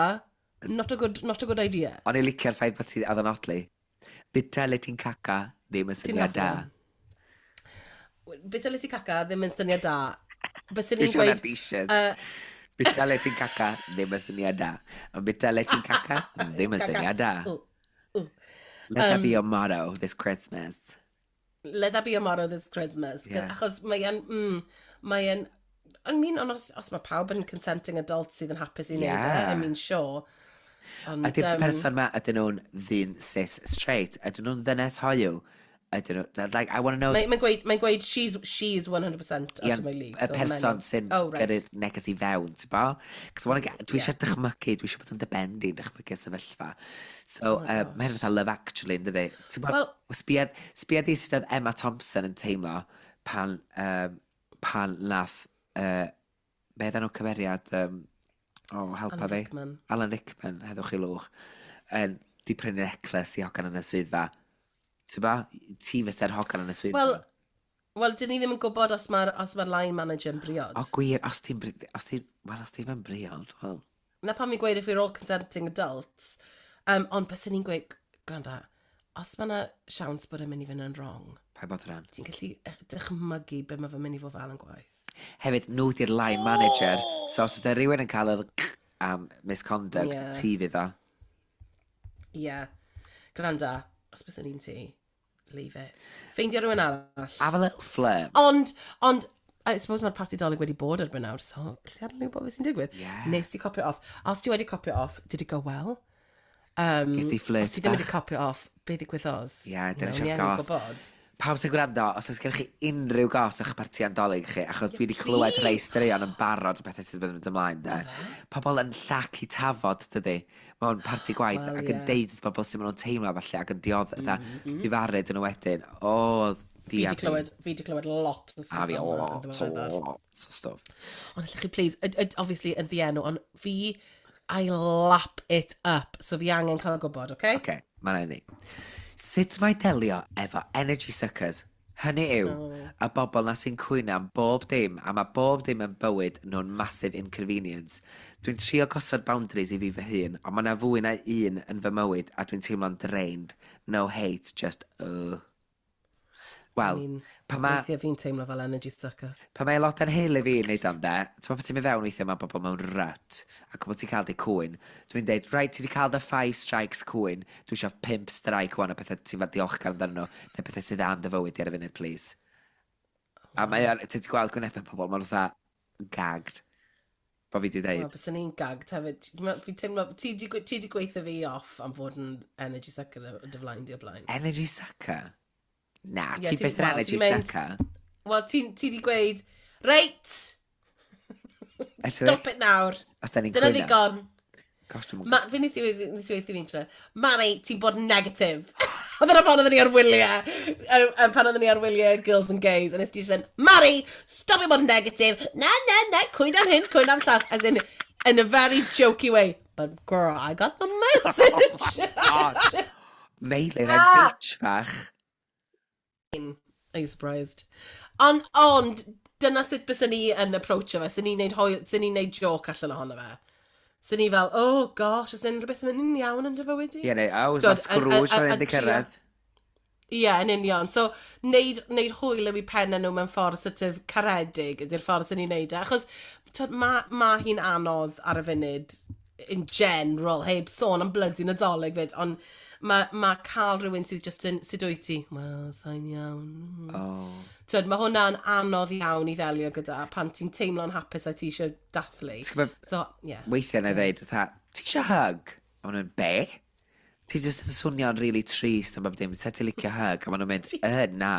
not a good idea. O'n i licio'r ffaith bod ti, oedd yn odli. Bita le ti'n caca, ddim yn syniad da. Bita le ti'n caca, ddim yn syniad da. Byswn i'n gweud t-shirt. Bita le ti'n caca, ddim yn syniad da. Ond bita le ti'n caca, ddim yn syniad da. Let that be your motto this Christmas. Let that be your motto this Christmas. Yeah. Achos mae e'n, I mean, ond os mae pawb yn consenting adults sydd yn hapus i wneud e, I mean, sure. Ond, ydy'r person ma, ydyn nhw'n ddyn cis straight? Ydyn nhw'n ddynes hoyw? Ydyn nhw, like, I want to know. Mae'n gweud she's 100% out of my league. Y person sy'n gyrru'r neges i fewn, ti'n bo? Cos dwi eisiau dychmygu, dwi eisiau bod yn dy ben di'n dychmygu sefyllfa. So, Oh mae hyn fatha Love Actually, yn dydi? Ti'n bod, Wel- sbia di sut oedd Emma Thompson yn teimlo pan nath, be oedden nhw cymeriad, oh, helpa Alan fi. Rickman. Alan Rickman, heddwch i lwch, di prynu necklace i hogan yn y swyddfa. Ti'n bo? Ti fysa'r hogan yn y swyddfa. Wel, dyn ni ddim yn gwybod os mae'r line manager yn briod. O gwir, os ti'n, well, os ti'n yn briod, wel. Na pam fi'n gweud if we're all consenting adults. Ond byswn ni'n gweud, gwranda, os mae yna siawns bod e'n mynd i fynd yn wrong, Pa bod rhan. ti'n gallu dychmygu be mae fe'n mynd i fod fel yn gwaith. Hefyd, nhw di'r line manager, so os ydy rhywun yn cael yr am misconduct, ti fydd o. Ie. Yeah. Gwranda, os byswn ni'n ti, leave it. Ffeindio rhywun arall. Have a little flirt. Ond, I suppose mae'r parti Dolig wedi bod erbyn nawr, so lle ar gwybod beth sy'n digwydd. Nes ti copio off. A os ti wedi copio off, did it go well? Ges ti flirt Os ti ddim wedi bach? copio off, be ddigwyddodd? Ie, dyna You know, eisiau'r ni angen gos. gwybod. Pawb sy'n gwrando, os oes gennych chi unrhyw gos o'ch parti Nadolig chi, achos dwi wedi clywed rhai straeon yn barod o bethau sydd wedi mynd ymlaen, de. Pobl yn llacu tafod, dydy, mewn parti gwaith, Wel, ac yn deud wrth bobl sy'n maen nhw'n teimlo falle, ac yn diodd, mm difaru dyn nhw wedyn. O, Fi dia di clywed, fi di clywed lot o A stwff fi fel 'na yn lot, ddiweddar. lot o stwff. Ond allwch chi, please, obviously yn ddienw, ond fi, I lap it up, so fi angen cael gwybod, okay? Oce, okay, mae'n ni. Sut mae delio efo energy suckers? Hynny yw, y bobl na sy'n cwyno am bob dim, a mae bob dim yn bywyd nhw'n massive inconvenience. Dwi'n trio gosod boundaries i fi fy hun, ond mae yna fwy na un yn fy mywyd a dwi'n teimlo'n drained. No hate, just. Wel, I mean, pan mae Weithiau fi'n teimlo fel energy sucker. pan mae aelodau'n heulu fi yn neud am de, ti'n pan ti'n mynd fewn weithiau mae bobl mewn rut, ac bod ti'n cael dy cwyn, dwi'n deud, right, ti wedi cael dy five strikes cwyn, dwi eisiau pump strike wan o pethau ti'n fod diolchgar amdano nhw, neu pethau sydd dda yn dy fywyd di ar y funud, please. A mae, ti wedi gweld gwynebau pobl, maen nhw fatha gagged. Bo fi wedi Wel, deud. byswn i'n gagged hefyd. Fi'n teimlo, ti di gweithio fi off am fod yn energy sucker o dy flaen di o blaen. Energy sucker? Na, Ie, ti byth yn wel, energy ti'n mynd- sucker. Wel, ti di gweud, reit, Eto, stop it nawr. Os da ni'n Dyna cwyno. ddigon. Gosh, dwi'n Ma, fe nes i nes i weithio fi'n tre. Mari, ti'n bod yn negatif. Oedd yna pan oedden ni ar wyliau, pan oedden ni ar wyliau Girls and Gays, a nes i just yn, Mari, stop i bod yn negatif. Na, na, na, cwyn am hyn, cwyn am llall. As in, in a very jokey way. But girl, I got the message. Oh God. Meilir, I'm bitch fach. Are you surprised? Ond, dyna sut bys ni yn approachio fe. Sy'n ni'n neud, sy'n ni'n neud joke allan ohono fe. Sy'n ni fel, oh gosh, oes unrhyw beth yn mynd yn iawn yn dy fywyd i? Ie, neu, oh, mae Scrooge fan hyn di cyrraedd. Ie, yn union. So, neud hwyl yw i pen nhw mewn ffordd sort of caredig ydy'r ffordd sy'n ni'n neud e. Achos, twyd, ma hi'n anodd ar y funud in general, heb sôn am bloody Nadolig fyd, ond mae ma cael rhywun sydd just yn, sut wyt ti? Wel, sa'n iawn. Oh. Twyd, mae hwnna'n anodd iawn i ddelio gyda pan ti'n teimlo'n hapus a ti eisiau dathlu. Ti'n gwbod, So, yeah. Weithiau na i ddeud, fatha, ti eisiau hug? A maen nhw'n, be? Ti jyst yn swnio'n really trist am bob dim, set ti licio hug? A maen nhw'n mynd, na.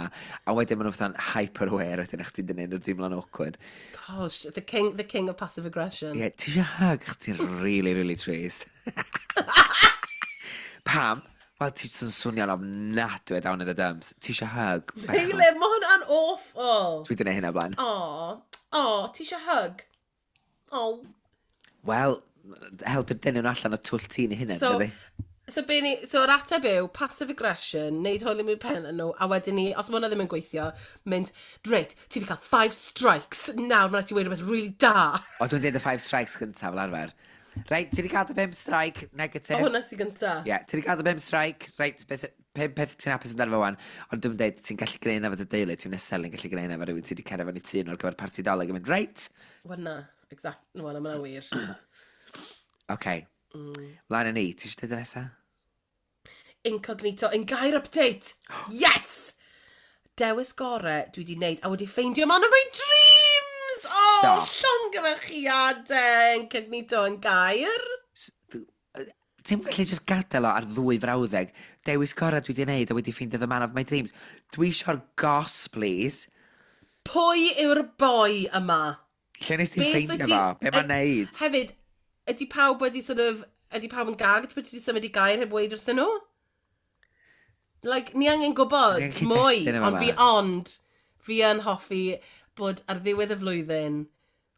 A wedyn maen nhw'n fatha'n hyper-aware wedyn, ach ti'n dynnu nhw'n deimlo'n awkward. Gosh, the king of passive aggression. Ie, yeah, ti eisiau hug? Ach ti'n really, really trist. Pam? Wel, ti jyst yn swnio'n ofnadwy down in the dumps. Ti eisiau hug? Meilir, mae hwnna'n awful. Dwi wedi gwneud hynna blaen. O, o, ti eisiau hug? O. Wel, helpu dynnu nhw allan o twll tîn i hunain, So, dydi? so, be ni, so yr ateb yw passive aggression, neud hwyl i mewn pen nhw, a wedyn ni, os mae hwnna ddim yn gweithio, mynd, reit, ti wedi cael five strikes, nawr mae'n rhaid ti weud rhywbeth really da. O, dwi'n deud y five strikes gyntaf fel arfer. Reit, ti wedi cael dy pump strike, negatif. O, hwnna sy'n gynta. Ie, yeah, ti wedi cael dy pump strike, reit, pum peth ti'n hapus amdano fo wan, ond dwi'n deud, ti'n gallu gwneud hynna efo dy deulu, ti'n necessarily gallu gwneud hynna efo rhywun ti wedi cerdded fyny tŷ nhw ar gyfer parti Dolig yn mynd, reit, Wel na, exact, no, na, mae'n wir. oce, mlaen â ni, ti eisiau dweud y nesa? Incognito yn gair update. Yes! Dewis gore dwi wedi wneud a wedi ffeindio man of my dreams! Oh, Stop. Llongyfarchiadau Incognito yn gair. Ti'n gallu just gadael o ar ddwy frawddeg. Dewis gorau dwi wedi wneud a wedi ffeindio the man of my dreams. Dwi eisiau'r goss, please. Pwy yw'r boi yma? Lle nes ti Beth ffeindio wyt ti- fo? Be mae'n neud? Hefyd, ydy pawb wedi sort of... Ydy pawb yn gagged bod ti wedi symud i gair heb weud wrthyn nhw? Like, ni angen gwybod Ni angen mwy, cyd-destun yma ond fi ma. ond, fi yn hoffi bod ar ddiwedd y flwyddyn,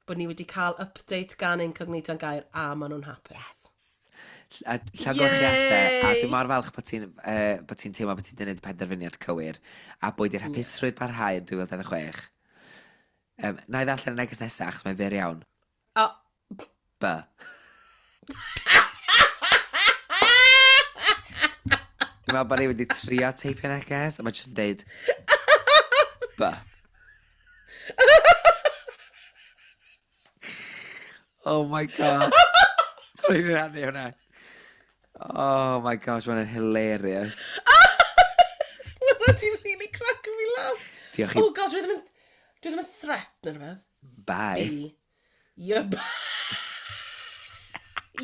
bod ni wedi cael update gan Incognito yn gair a maen nhw'n hapus. Yes. A llongyfarchiadau, a Yay! dwi'n mor falch bod ti'n bod ti'n teimlo bod ti'n gwneud y penderfyniad cywir, a bod i'r hapusrwydd parhau yn 2026. Na i ddarllen y neges nesaf, achos mae'n fyr iawn. O, B. Dwi'n meddwl bod ni wedi trio teipio neges, a mae jyst yn deud B. Oh my God. Dwi'n rhannu hwnna. Oh my gosh, mae'n hilarious. Hwna ti'n really crack fi laugh. Diolch i... Oh god, dwi ddim yn threat neu rhywbeth. Bye. B. You're b...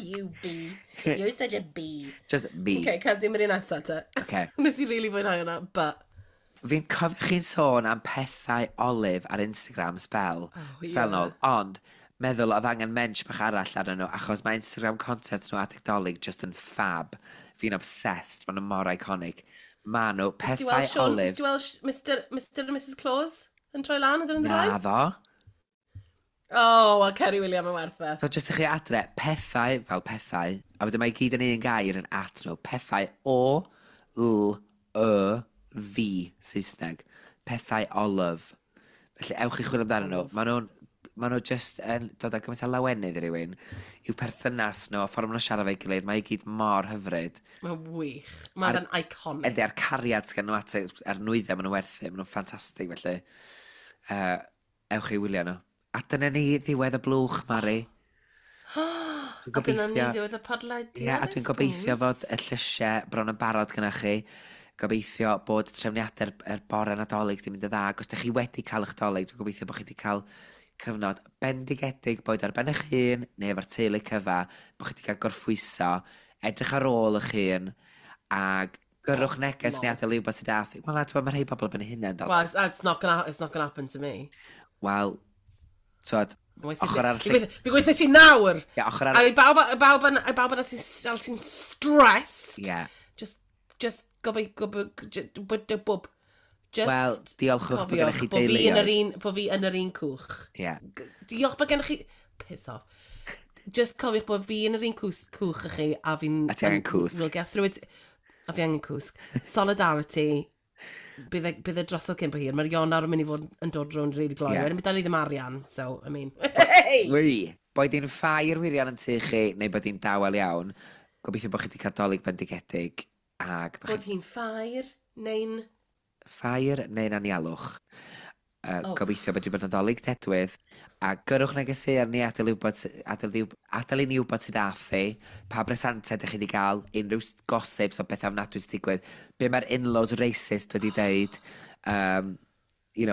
You B. You're such a B. Just B. Okay, cael dim yr un nesaf te. Okay. Nes i really fwynhau hwnna, but... Fi'n cofio chi'n sôn am pethau olive ar Instagram spel, Oh, spel ie. nôl, ond meddwl oedd angen mensch bach arall arnyn nhw, achos mae Instagram content nhw adeg Dolig just yn fab. Fi'n obsessed, maen nhw mor iconic. Maen nhw Nes ti pethau weld Sean, nes olive. ti weld Mr and Mrs Claus yn troi lan yn dyn Na nhw'n ddo. Oh, well, Kerry William yn werth e. So jyst i chi adre, pethau fel pethau, a wedyn mae i gyd yn un gair yn at nhw, pethau O, L, Y, V, Saesneg. Pethau olive. Felly ewch i chwilio amdanyn nhw. Maen nhw just yn dod â gymaint o lawenydd i rywun, i'w perthynas nhw, y ffordd maen nhw'n siarad efo'i gilydd, mae i gyd mor hyfryd. Mae'n wych. Mae'n iconic. Yndi, a'r cariad sgan nhw at a'r nwyddau maen nhw'n werthu, maen nhw'n ffantastig, felly ewch i wylio nhw. A dyna ni ddiwedd y blwch, Mari. Dwi'n A dyna ni gobeithio- ddiwedd y podlediad. Ie, a dwi'n gobeithio fod y llysiau bron yn barod gyda chi. Gobeithio bod trefniadau'r er bore Nadolig di mynd yn dda. Ac os ydych chi wedi cael eich Dolig, dwi'n gobeithio bod chi wedi cael cyfnod bendigedig, boed ar ben eich hun neu efo'r teulu cyfa, bod chi wedi cael gorffwyso, edrych ar ôl eich hun, ag gyrrwch neges neu adael i wybod sydd ath. Wel, na, ti'n gwbod, mae rhai bobl ben eu hunain, dal. Well, it's not gonna happen to me. Wel, Twod, ochr arall. Fi gweithio ti nawr! Ie, ochr arall. A i bawb, bawb, i bawb yna sy'n sy stressed. Yeah. Just, gobeithio, just Wel, diolchwch bod gennych chi deuluoedd. Bo fi yn yr un cwch. Yeah. Diolch bod gennych chi. Piss off. Just cofiwch bod fi yn yr un cwch â chi a fi'n. A ti angen cwsg. We'll get through it. A fi angen cwsg. Solidarity. Bydd e, bydd e drosodd cyn bo hir. Mae'r Ionawr yn mynd i fod yn dod rownd really gloi. Yeah. Wedyn bydd ni ddim arian, so, I mean. Hey! Wy, boed hi'n ffair wirion yn tŷ chi, neu bod hi'n dawel iawn, gobeithio bod chi wedi cael Dolig bendigedig. Ag bod hi'n ffair, neu'n Ffair neu'n anialwch. Oh. Gobeithio bod wedi bod yn ddolig dedwydd. A gyrrwch negeseuon ni adael, wybod, adael, adael i ni wybod sydd ath chi, pa bresantau ydych chi wedi cael, unrhyw gossips o bethau ofnadwy sydd digwydd, be mae'r in-laws racist wedi deud,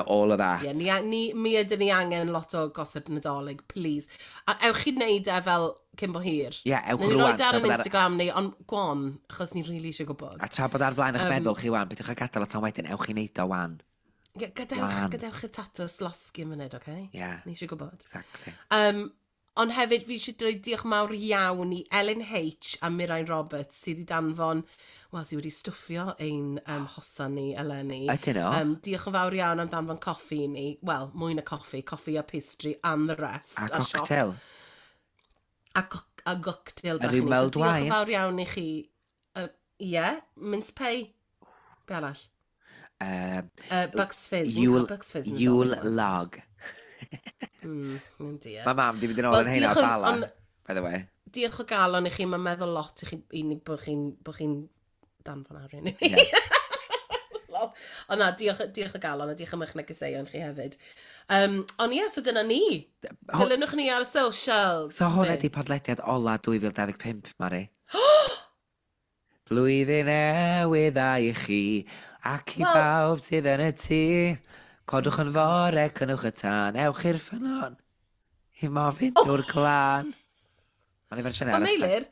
all of that. Yeah, mi ydyn ni angen lot o gossip Nadolig, please. A ewch chi wneud e fel cyn bo hir. Ie, yeah, ewch rwan. Ni roed ar yn Instagram ni, ond gwan, achos ni'n rili really eisiau gwybod. A tra bod ar flaen eich meddwl chi wan, beth yw'ch gadael o tan wedyn, ewch chi wneud o wan. Yeah, gadewch, gadewch y tatws losgi yn munud, oce? Okay? Yeah. Ni eisiau gwybod. Exactly. Ond hefyd, fi eisiau dweud diolch mawr iawn i Ellen H a Mirain Roberts sydd wedi danfon, wel, sydd wedi stwffio ein hosan ni eleni. Ydyn nhw? Diolch yn fawr iawn am danfon coffi i ni. Wel, mwy na coffi, coffi a pastry and the rest. A cocktail. A, a cocktail. A ryw mulled so, wine. Diolch yn fawr iawn i chi. Yeah, mince pie. Be arall? Bucks Fizz. Yule, Yule log. Dear. Mae mam di mynd yn ôl yn heina o Bala, by the way. Diolch o galon i chi, mae'n meddwl lot i chi, i ni bod chi'n bo chi danfon arian i ni. Yeah. Ond na, diolch, diolch o galon a diolch am eich negeseuon chi hefyd. Ond ie, so dyna ni. Dilynwch ni ar y socials. So hwn ydi podlediad ola 2025, Mari. Blwyddyn newydd dda i chi, ac i bawb sydd yn y tŷ. Codwch yn fore, cynnwch y tân, ewch i'r ffynnon. I mofyn drwy'r glân. Mae'n i fersiwn arall. Ond Meilir,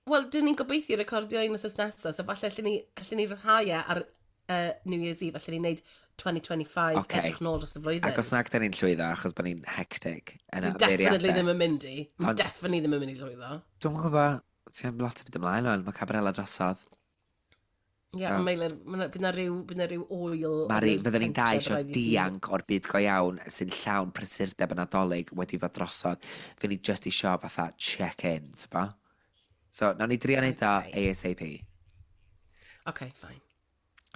wel, dyn ni'n gobeithio recordio un wythnos nesaf, so falle allan ni, allan ni ryddhau e ar New Year's Eve, allan ni wneud 2025, okay. Edrych nôl dros y flwyddyn. Ac os nag dyn ni'n llwyddo, achos bod ni'n hectic yn Ni definitely ddim yn mynd i. Ni definitely ddim yn mynd i llwyddo. Dwi'n gwybod, ti'n lot o byd ymlaen o'n, mae Cabarella drosodd. Ie, yeah, so, Meilir, bydd na ryw, bydd na ryw oil. Mari, fydden ni'n dau eisiau dianc o'r byd go iawn sy'n llawn prysurdeb yn Nadolig wedi fod drosodd. Fy ni just isio fatha check-in, ti'n? So, nawn ni drio neud o ASAP. OK, fine.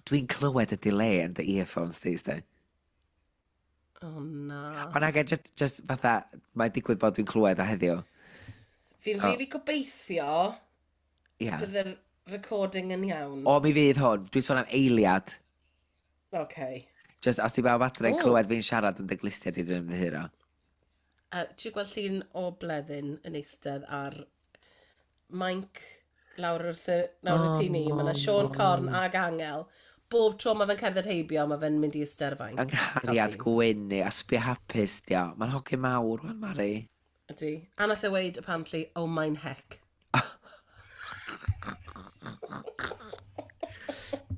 Dwi'n clywed y delay yn dy earphones these days. Oh, na. Ond ag, just fatha, mae'n digwydd bod dwi'n clywed o heddiw. Fi'n really gobeithio yeah. bydd yr recording yn iawn. O, mi fydd hwn. Dwi'n sôn am eiliad. OK. Just, os ti bawb adre yn clywed fi'n siarad yn dy glustiau, dwi'n ymddiheuro. Ti'n gweld llun o Bleddyn yn eistedd ar mainc lawr wrth y, lawr y tŷ ni. Mae yna Siôn Corn ag Angel. Bob tro mae fe'n cerdded heibio, mae fe'n mynd i eistedd ar y fainc. Yng nghariad gwyn ni, a sbio hapus, dio. Mae'n hogyn mawr, wan, Mari. Ydy. A nath e weud, apparently, oh mein heck.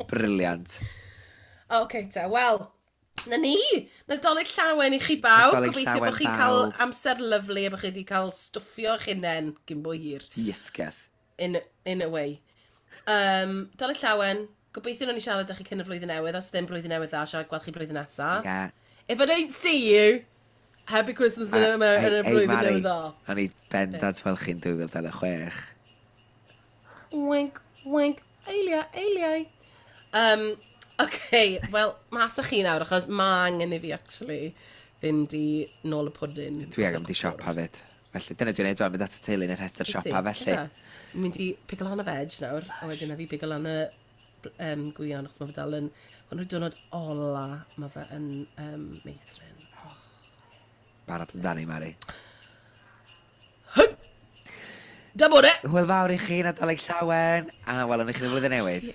Brilliant. OK, ta, wel, na ni. Nadolig llawen i chi bawb. Nadolig Gobeithio llawen bod chi'n cael bawb. amser lyfli a bod chi wedi cael stwffio eich hunain gyn bo hir. Iesgeth. In a way. Dolig llawen. Gobeithio nawn ni siarad â chi cyn y flwyddyn newydd. Os ddim blwyddyn newydd dda, siarad gweld chi blwyddyn nesa. Yeah. If I don't see you, happy Christmas yn y, yn y blwyddyn newydd dda. O'n i bendant fel chi'n 2026. Wink, wink, eiliau, eiliau. OK, wel, mas â chi nawr, achos ma angen i fi, actually, fynd i nôl y pwdin. Dwi angen mynd i siopa fyd. Felly, dyna dwi'n neud rwan, mynd at y teulu yn y rhestr siopa, felly. Dwi'n mynd i pigo lan y veg nawr, a wedyn a fi pigo lan y gwion, achos mae fe dal yn. Hwn yw'r diwrnod ola, mae fe yn meithrin. Oh. Barod amdani, Mari. Da bod e! Hwyl fawr i chi, Nadolig llawen, a welwn i chi yn y flwyddyn newydd.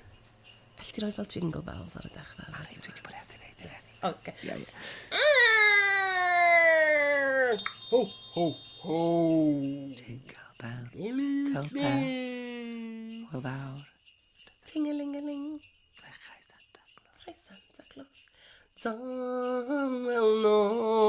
Alli ti roi fel jingle bells ar y dechrau? Mari, dwi wedi bod heb di wneud eleni. OK. Ie, ie. Ho, ho, ho. Jingle bells, jingle bells. Hwyl fawr. Ting-a-ling-a-ling. Lechau Santa Claus. Hi Santa Claus. Dawel nos.